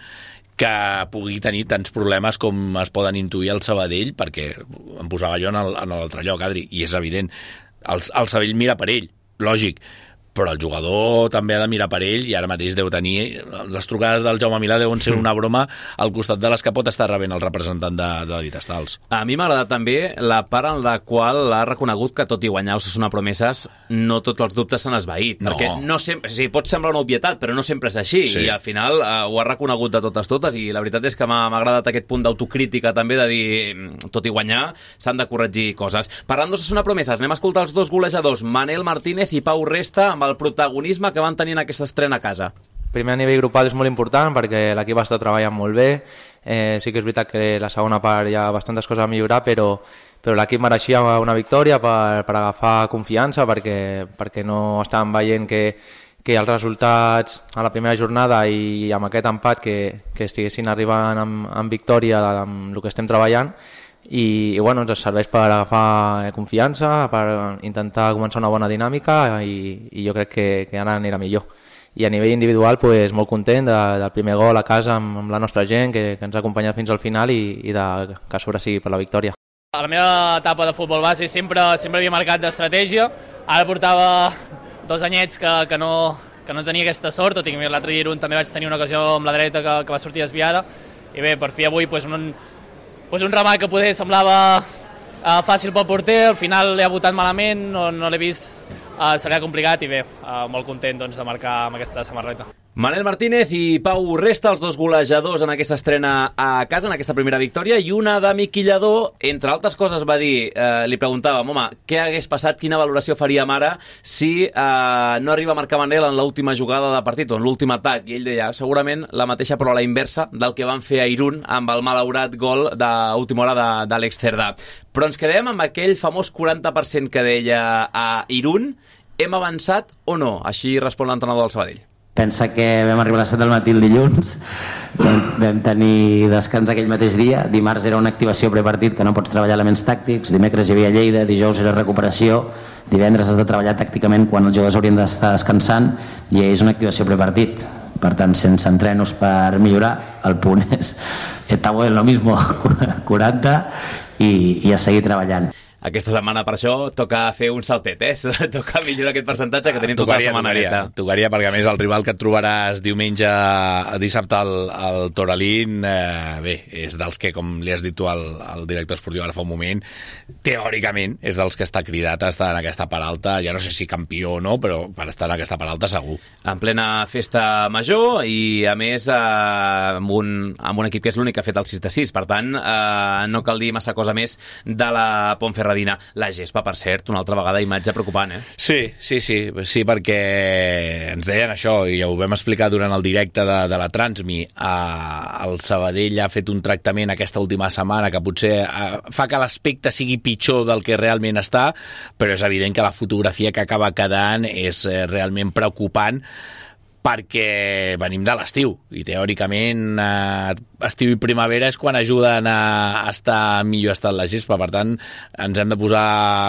S6: que pugui tenir tants problemes com es poden intuir al Sabadell, perquè em posava jo en l'altre lloc, Adri, i és evident, el Sabadell mira per ell, lògic, però el jugador també ha de mirar per ell i ara mateix deu tenir... Les trucades del Jaume Milà deuen ser una broma al costat de les que pot estar rebent el representant de David Stals.
S3: A mi m'ha agradat també la part en la qual ha reconegut que tot i guanyar Osasuna Promeses no tots els dubtes s'han esvaït, perquè no sempre, pot semblar una obvietat, però no sempre és així, i al final ho ha reconegut de totes, i la veritat és que m'ha agradat aquest punt d'autocrítica també, de dir, tot i guanyar s'han de corregir coses. Parlant d'Osasuna Promeses, anem a escoltar els dos golejadors, Manel Martínez i Pau Resta, amb el protagonisme que van tenir en aquesta estrena a casa.
S7: Primer a nivell grupal és molt important perquè l'equip està treballant molt bé. Sí que és veritat que la segona part hi ha bastantes coses a millorar, però l'equip mereixia una victòria per agafar confiança, perquè no estàvem veient que els resultats a la primera jornada i amb aquest empat que estiguessin arribant amb victòria amb el que estem treballant. I bueno, ens serveix per agafar confiança, per intentar començar una bona dinàmica i jo crec que ara anirà millor. I a nivell individual, pues, molt content del primer gol a casa amb la nostra gent que ens ha acompanyat fins al final i que a sobre sigui per la victòria.
S8: A la meva etapa de futbol base sempre havia marcat d'estratègia. Ara portava 2 anyets que no tenia aquesta sort, tot i que l'altre dia també vaig tenir una ocasió amb la dreta que va sortir desviada. I bé, per fi avui un remat que poder semblava fàcil pel porter, al final l'he botat malament, no l'he vist, se li ha complicat i bé, molt content de marcar amb aquesta samarreta.
S3: Manel Martínez i Pau Resta, els dos golejadors en aquesta estrena a casa, en aquesta primera victòria, i una de Miqui Lladó, entre altres coses va dir, li preguntàvem, home, què hagués passat, quina valoració faríem ara si no arriba a marcar Manel en l'última jugada de partit o en l'últim atac, i ell deia, segurament la mateixa però a la inversa del que van fer a Irún amb el malaurat gol d'última hora d'Àlex Cerdà. Però ens quedem amb aquell famós 40% que deia a Irún. Hem avançat o no? Així respon l'entrenador del Sabadell.
S4: Pensa que vam arribar a les 7 del matí el dilluns, vam tenir descans aquell mateix dia, dimarts era una activació prepartit que no pots treballar elements tàctics, dimecres hi havia Lleida, dijous era recuperació, divendres has de treballar tàcticament quan els jugadors haurien d'estar descansant i és una activació prepartit. Per tant, sense entrenos per millorar, el punt és está bueno, lo mismo, 40 i a seguir treballant.
S3: Aquesta setmana, per això, toca fer un saltet, toca millorar aquest percentatge que tenim tota la setmana neta.
S6: Tocaria, perquè a més el rival que et trobaràs diumenge, dissabte al Toralín, bé, és dels que, com li has dit tu al director esportiu ara fa un moment, teòricament és dels que està cridat a estar en aquesta part alta, ja no sé si campió o no, però per estar en aquesta part alta segur.
S3: En plena festa major i, a més, amb un equip que és l'únic que ha fet el 6-6, per tant, no cal dir massa cosa més de la Ponferradina. La gespa, per cert, una altra vegada imatge preocupant,
S6: Sí, perquè ens deien això, i ho vam explicar durant el directe de la Transmi. El Sabadell ha fet un tractament aquesta última setmana que potser fa que l'aspecte sigui pitjor del que realment està, però és evident que la fotografia que acaba quedant és realment preocupant perquè venim de l'estiu i teòricament estiu i primavera és quan ajuden a estar millor estat la gespa, per tant ens hem de posar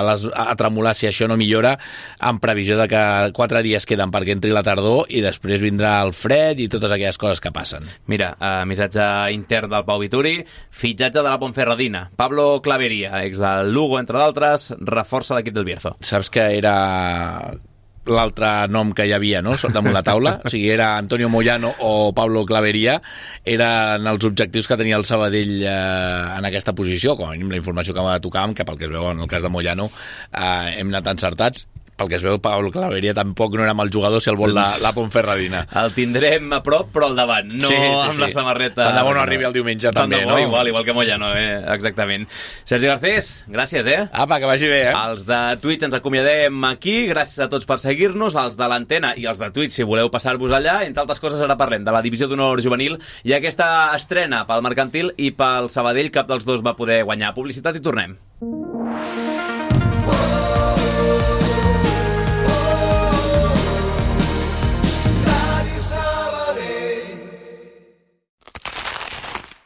S6: a tremolar si això no millora, en previsió de que 4 dies queden perquè entri la tardor i després vindrà el fred i totes aquelles coses que passen.
S3: Mira, missatge intern del Pau Vituri, fitxatge de la Ponferradina, Pablo Clavería, ex del Lugo entre d'altres, reforça l'equip del Bierzo.
S6: Saps que era l'altre nom que hi havia, no?, damunt la taula, o sigui, era Antonio Moyano o Pablo Clavería, eren els objectius que tenia el Sabadell en aquesta posició, com a mínim la informació que tocàvem, que pel que es veu en el cas de Moyano hem anat encertats. Pel que es veu, Pablo Clavería tampoc no era mal jugador si el vol la Ponferradina.
S3: El tindrem a prop, però al davant, no amb la samarreta.
S6: Tant de bo no arribi el diumenge, també, no?
S3: Igual que Moyano, exactament. Sergi Garcés, gràcies,
S6: Apa, que vagi bé,
S3: Els de Twitch ens acomiadem aquí, gràcies a tots per seguir-nos, els de l'Antena i els de Twitch, si voleu passar-vos allà. Entre altres coses, ara parlem de la Divisió d'Honor Juvenil i aquesta estrena pel Mercantil i pel Sabadell, cap dels dos va poder guanyar. Publicitat i tornem.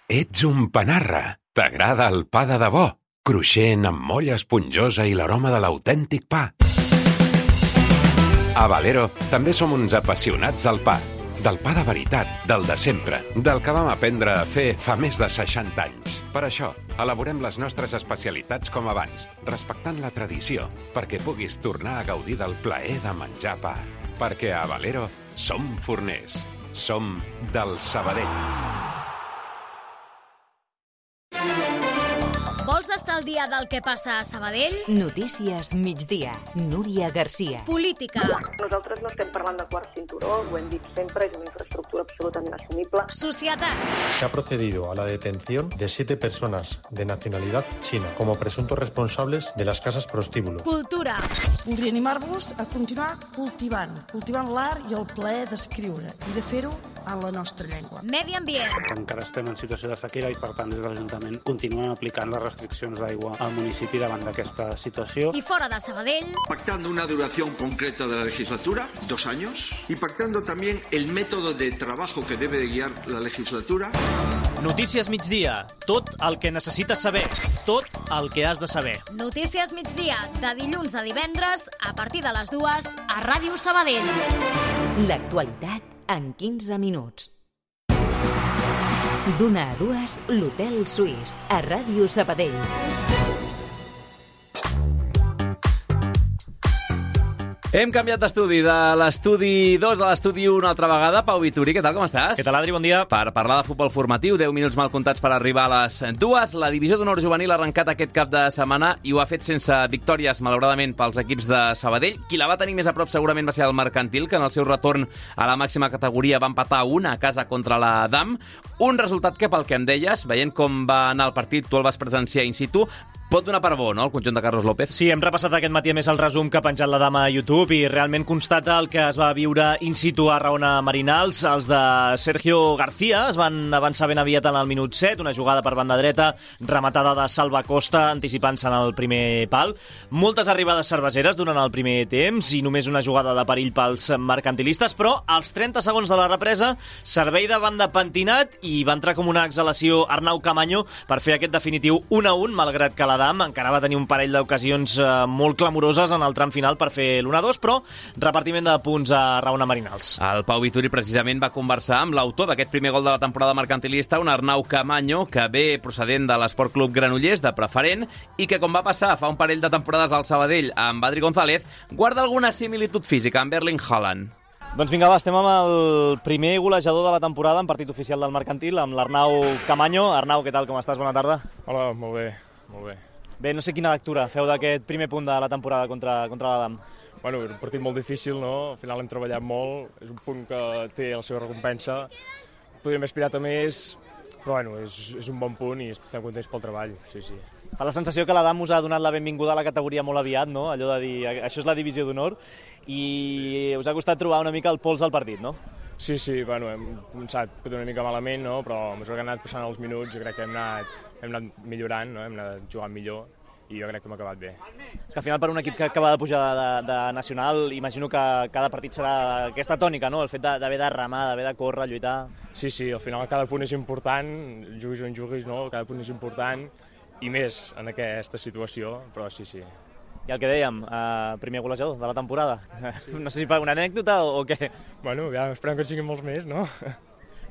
S9: Ets un panarra. T'agrada el pa de debò? Cruixent, amb molla esponjosa i l'aroma de l'autèntic pa. A Valero també som uns apassionats del pa. Del pa de veritat, del de sempre, del que vam aprendre a fer fa més de 60 anys. Per això, elaborem les nostres especialitats com abans, respectant la tradició, perquè puguis tornar a gaudir del plaer de menjar pa. Perquè a Valero som forners. Som del Sabadell.
S10: Vols estar al dia del que passa a Sabadell?
S1: Notícies migdia. Núria Garcia.
S10: Política.
S11: Nosaltres no estem parlant de quart cinturó, ho hem dit sempre, és una infraestructura absolutament assumible.
S10: Societat.
S12: Se ha procedido a la detención de 7 personas de nacionalidad china como presuntos responsables de las casas prostíbulo.
S10: Cultura.
S13: Voldria animar-vos a continuar cultivant l'art i el plaer d'escriure i de fer-ho en la nostra llengua.
S10: Medi ambient.
S14: Encara estem en situació de sequera i, per tant, des de l'Ajuntament continuem aplicant les restriccions d'aigua al municipi davant d'aquesta situació.
S10: I fora de Sabadell.
S15: Pactando una duración concreta de la legislatura, 2 años, y pactando también el método de trabajo que debe de guiar la legislatura.
S16: Notícies migdia. Tot el que necessites saber. Tot el que has de saber.
S10: Notícies migdia. De dilluns a divendres, a partir de les 2, a Ràdio Sabadell.
S1: L'actualitat en 15 minuts. D'1 a 2, l'Hotel Suís, a Ràdio Sabadell.
S3: Hem canviat d'estudi, de l'estudi 2 a l'estudi 1 una altra vegada. Pau Vituri, què tal, com estàs?
S16: Què tal, Adri, bon dia.
S3: Per parlar de futbol formatiu, 10 minuts mal comptats per arribar a les 2. La Divisió d'Honor Juvenil ha arrencat aquest cap de setmana i ho ha fet sense victòries, malauradament, pels equips de Sabadell. Qui la va tenir més a prop segurament va ser el Mercantil, que en el seu retorn a la màxima categoria va empatar 1 a casa contra la DAM. Un resultat que, pel que em deies, veient com va anar el partit, tu el vas presenciar in situ, pot donar per bo, no?, el conjunt de Carlos López.
S16: Sí, hem repassat aquest matí a més el resum que ha penjat la dama a YouTube i realment constata el que es va viure in situ a Raona Marinals. Els de Sergio García es van avançar ben aviat en el minut 7, una jugada per banda dreta, rematada de Salva Costa, anticipant-se en el primer pal. Moltes arribades cerveseres durant el primer temps i només una jugada de perill pels mercantilistes, però als 30 segons de la represa, servei de banda pentinat i va entrar com una exhalació Arnau Camaño per fer aquest definitiu 1-1, malgrat que la Adam encara va tenir un parell d'ocasions molt clamoroses en el tram final per fer l'1-2, però repartiment de punts a Raona Marinals.
S3: El Pau Vituri precisament va conversar amb l'autor d'aquest primer gol de la temporada mercantilista, un Arnau Camaño, que ve procedent de l'Esport Club Granollers, de preferent, i que, com va passar fa un parell de temporades al Sabadell amb Adri González, guarda alguna similitud física amb Erling Haaland.
S16: Doncs vinga, va, estem amb el primer golejador de la temporada en partit oficial del Mercantil, amb l'Arnau Camaño. Arnau, què tal, com estàs? Bona tarda.
S17: Hola, molt bé. Molt bé.
S16: Bé, no sé quina lectura feu d'aquest primer punt de la temporada contra l'Adam.
S17: Bueno, era un partit molt difícil, no? Al final hem treballat molt, és un punt que té la seva recompensa. Podríem haver aspirat a més, però bueno, és un bon punt i estem contents pel treball, sí.
S16: Fa la sensació que l'Adam us ha donat la benvinguda a la categoria molt aviat, no? Allò de dir, això és la divisió d'honor, i us ha costat trobar una mica el pols al partit, no?
S17: Sí, bueno, hem començat una mica malament, no? Però a mesura que hem anat passant els minuts jo crec que hem anat millorant, no? Hem anat jugant millor i jo crec que hem acabat bé.
S16: És que al final per un equip que acaba de pujar de nacional, imagino que cada partit serà aquesta tònica, no? El fet d'haver de remar, d'haver de córrer, lluitar...
S17: Sí, al final cada punt és important, juguis on juguis, no? Cada punt és important, i més en aquesta situació, però sí.
S16: I el que dèiem, primer golejador de la temporada. Sí. No sé si per una anècdota o què.
S17: Bueno, ja esperem que en siguin molts més, no?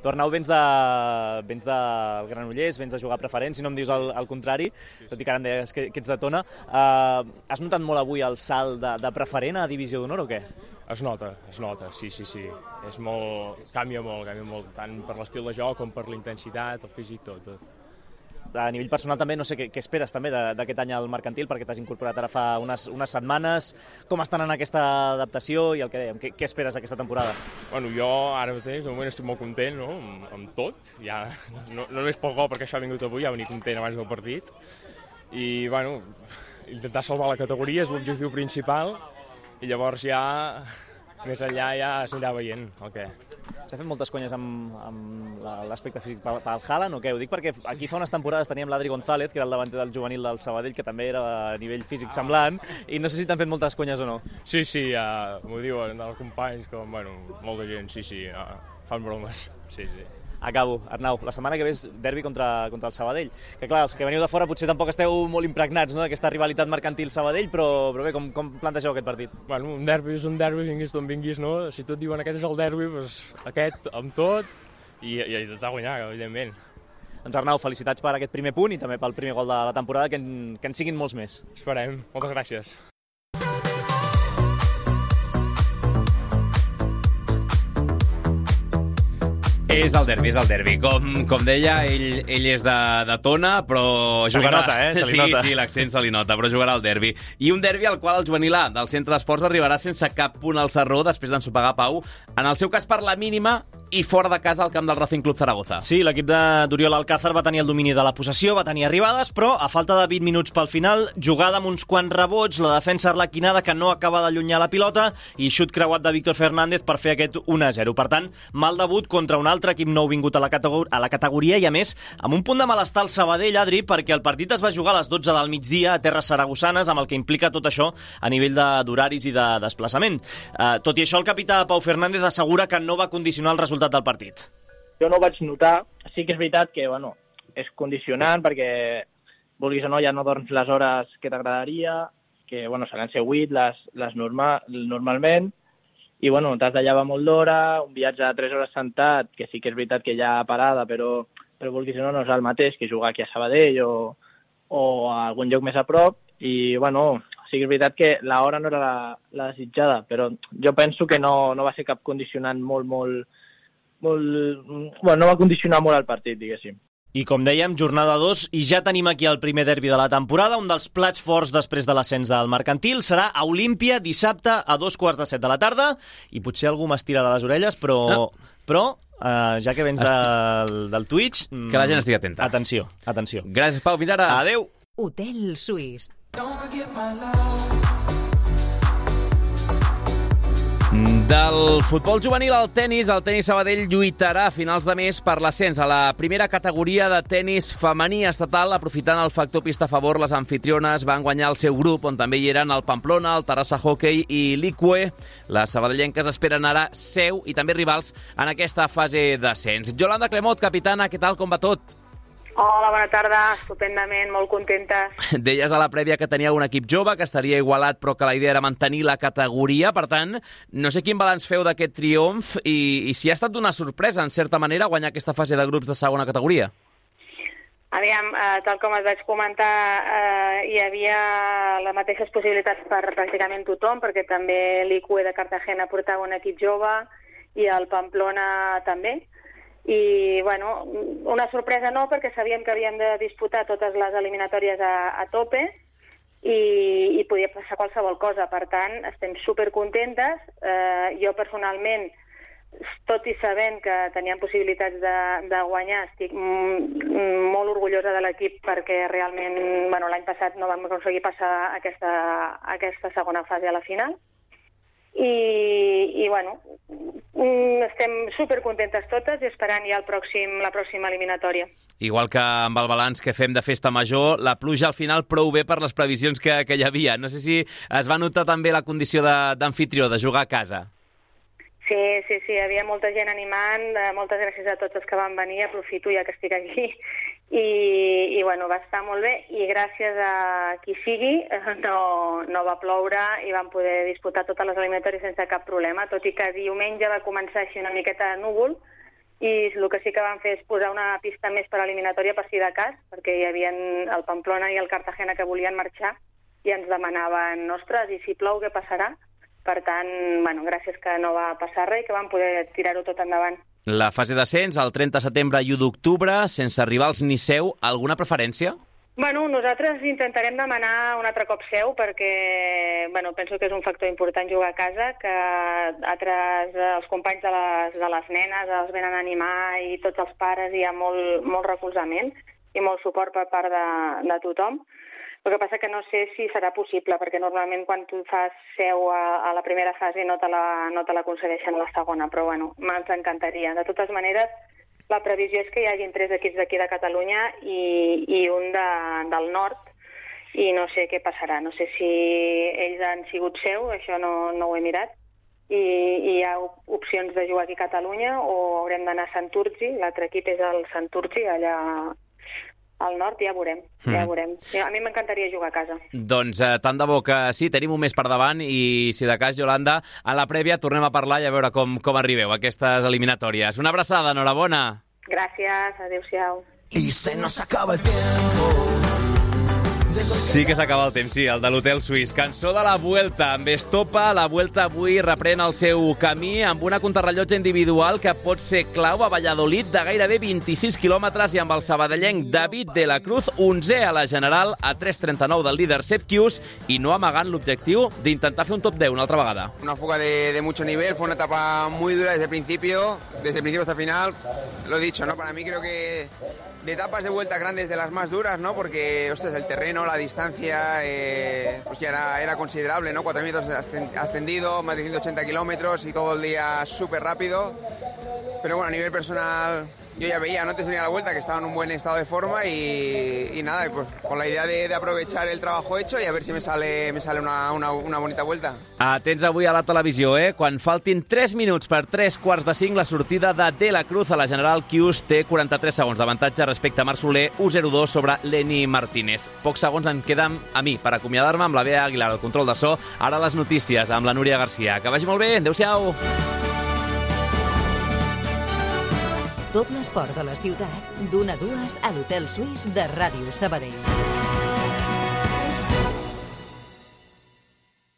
S16: Tu, Arnau, vens del Granollers, vens de jugar preferent, si no em dius el contrari, tot i que ara em deies que ets de Tona. Has notat molt avui el salt de preferent a divisió d'honor o què?
S17: Es nota, sí. És molt, canvia molt, tant per l'estil de joc com per la intensitat, el físic, tot.
S16: A nivell personal també, no sé què esperes també d'aquest any al Mercantil, perquè t'has incorporat ara fa unes setmanes. Com estan en aquesta adaptació i el que dèiem, què esperes d'aquesta temporada?
S17: Bueno, jo ara mateix, de moment estic molt content, no?, amb tot. Ja, no només pel gol, perquè això ha vingut avui, ja ha venit content abans del partit. I, bueno, intentar salvar la categoria és l'objectiu principal, i llavors ja, més enllà, ja s'anirà veient el què.
S16: S'ha fet moltes conyes amb l'aspecte físic pel Haaland o què? Ho dic perquè aquí fa unes temporades teníem l'Adri González, que era el davanter del juvenil del Sabadell, que també era a nivell físic semblant, i no sé si t'han fet moltes conyes o no.
S17: Sí, ja m'ho diuen els companys, com, bueno, molta gent, sí, fan bromes, sí.
S16: Acabo. Arnau, la setmana que ve és derbi contra el Sabadell, que clar, els que veniu de fora potser tampoc esteu molt impregnats, no?, d'aquesta rivalitat Mercantil-Sabadell, però bé, com plantegeu aquest partit?
S17: Bueno, un derbi és un derbi, vinguis d'on vinguis, no? Si tot diuen aquest és el derbi, doncs aquest amb tot, i intentar guanyar, evidentment.
S16: Doncs Arnau, felicitats per aquest primer punt i també pel primer gol de la temporada, que en siguin molts més.
S17: Esperem. Moltes gràcies.
S3: És el derbi. Com deia, ell és de Tona, però
S16: se
S3: jugarà...
S16: Se li nota.
S3: Sí, l'accent se li nota, però jugarà al derbi. I un derbi al qual el juvenil A del Centre d'Esports arribarà sense cap punt al Sarró després d'ensopegar Pau, en el seu cas per la mínima i fora de casa al camp del Racing Club Zaragoza.
S16: Sí, l'equip d'Oriol Alcázar va tenir el domini de la possessió, va tenir arribades, però a falta de 20 minuts pel final, jugada amb uns quants rebots, la defensa arlequinada que no acaba d'allunyar la pilota i xut creuat de Víctor Fernández per fer aquest 1-0. Per tant, mal debut contra un altre equip nou vingut a la categoria i, a més, amb un punt de malestar al Sabadell, Adri, perquè el partit es va jugar a les 12 del migdia a terres saragossanes, amb el que implica tot això a nivell d'horaris i de desplaçament. Tot i això, el capità Pau Fernández assegura que no va condicionar el resultat del partit.
S18: Jo no ho vaig notar. Sí que és veritat que, és condicionant perquè, vulguis o no, ja no dorms les hores que t'agradaria, que, seran 8 les normalment, i, t'has de llevar molt d'hora, un viatge de 3 hores sentat, que sí que és veritat que hi ha parada, però vulguis o no és el mateix que jugar aquí a Sabadell o a algun lloc més a prop, i, sí que és veritat que l'hora no era la desitjada, però jo penso que no va ser cap condicionant no va condicionar molt el partit, diguéssim.
S16: I com dèiem, jornada 2, i ja tenim aquí el primer derbi de la temporada. Un dels plats forts després de l'ascens del Mercantil serà a Olímpia dissabte a 2:15 de la tarda, i potser algú m'estira de les orelles, però ja que vens del Twitch...
S3: Que la gent estigui atenta.
S16: Atenció.
S3: Gràcies, Pau. Fins ara.
S16: Adéu.
S1: Hotel Suís.
S3: Del futbol juvenil al tenis, el tenis Sabadell lluitarà a finals de mes per l'ascens a la primera categoria de tenis femení estatal. Aprofitant el factor pista a favor, les anfitriones van guanyar el seu grup, on també hi eren el Pamplona, el Terrassa Hockey i l'Icue. Les sabadellenques esperen ara seu i també rivals en aquesta fase d'ascens. Yolanda Clemot, capitana, què tal, com va tot?
S11: Hola, bona tarda, estupendament, molt contentes.
S3: Deies a la prèvia que tenia un equip jove, que estaria igualat, però que la idea era mantenir la categoria. Per tant, no sé quin balanç feu d'aquest triomf i si ha estat una sorpresa, en certa manera, guanyar aquesta fase de grups de segona categoria.
S11: Aviam, tal com et vaig comentar, hi havia les mateixes possibilitats per pràcticament tothom, perquè també l'ICUE de Cartagena portava un equip jove i el Pamplona també. I, una sorpresa no, perquè sabíem que havíem de disputar totes les eliminatòries a tope i podia passar qualsevol cosa. Per tant, estem supercontentes. Jo, personalment, tot i sabent que teníem possibilitats de guanyar, estic molt orgullosa de l'equip perquè realment l'any passat no vam aconseguir passar aquesta segona fase a la final. I estem estem supercontentes totes i esperant ja la pròxima eliminatòria.
S3: Igual que amb el balanç que fem de festa major, la pluja al final prou bé per les previsions que hi havia. No sé si es va notar també la condició d'anfitrió, de jugar a casa.
S11: Sí, hi havia molta gent animant, moltes gràcies a tots els que van venir, aprofito ja que estic aquí, i bueno, va estar molt bé, i gràcies a qui sigui no va ploure i vam poder disputar totes les eliminatòries sense cap problema, tot i que diumenge va començar així una miqueta de núvol, i el que sí que vam fer és posar una pista més per eliminatòria per si de cas, perquè hi havia el Pamplona i el Cartagena que volien marxar i ens demanaven, ostres, i si plou què passarà? Per tant, bueno, gràcies que no va passar res i que vam poder tirar-ho tot endavant.
S3: La fase d'ascens, el 30 de setembre i 1 d'octubre, sense rivals ni seu, alguna preferència?
S11: Bueno, nosaltres intentarem demanar un altre cop seu perquè penso que és un factor important jugar a casa, que els companys de les nenes els venen a animar i tots els pares hi ha molt recolzament i molt suport per part de tothom. El que passa que no sé si serà possible, perquè normalment quan tu fas seu a la primera fase no te la concedeixen a la segona, però bueno, ens encantaria. De totes maneres, la previsió és que hi hagin 3 equips d'aquí de Catalunya i un del nord, i no sé què passarà. No sé si ells han sigut seu, això no ho he mirat, i hi ha opcions de jugar aquí a Catalunya o haurem d'anar a Santurci, l'altre equip és el Santurci, allà al nord, ja veurem. A mi m'encantaria jugar a casa.
S3: Doncs tant de bo que sí, tenim un mes per davant i si de cas, Yolanda, a la prèvia tornem a parlar i a veure com arribeu a aquestes eliminatòries. Una abraçada, enhorabona.
S11: Gràcies, adéu-siau.
S19: Y se nos acaba el tiempo.
S3: Sí que s'acaba el temps, sí, el de l'Hotel Suís. Cançó de la Vuelta, amb Estopa. La Vuelta avui reprèn el seu camí amb una contrarellotge individual que pot ser clau a Valladolid de gairebé 26 quilòmetres i amb el sabadellenc David de la Cruz, 11è a la general a 3:39 del líder Sepp Kuss i no amagant l'objectiu d'intentar fer un top 10 una altra vegada.
S20: Una fuga de mucho nivel, fue una etapa muy dura desde el principio hasta el final. Lo he dicho, ¿no? Para mí creo que de etapas de vuelta grandes de las más duras, ¿no? Porque, ostras, el terreno, la distancia, pues ya era considerable, ¿no? 4 metros ascendido, más de 180 kilómetros y todo el día súper rápido. Pero bueno, a nivel personal, yo ya veía, ¿no? Antes venía la vuelta, que estaba en un buen estado de forma y nada, pues con la idea de aprovechar el trabajo hecho y a ver si me sale una bonita vuelta.
S3: Atents avui a la televisió, Quan faltin 3 minuts per 3:45, la sortida de la Cruz a la general Kuss té 43 segons d'avantatge respecte a Marc Soler, 1:02 sobre Lenny Martínez. Pocs segons em queden a mi per acomiadar-me amb la Bea Aguilar, el control de so. Ara les notícies amb la Núria Garcia. Que vagi molt bé, adéu-siau!
S1: Tot l'esport de la ciutat, d'1 a 2 a l'Hotel Suís de Ràdio Sabadell.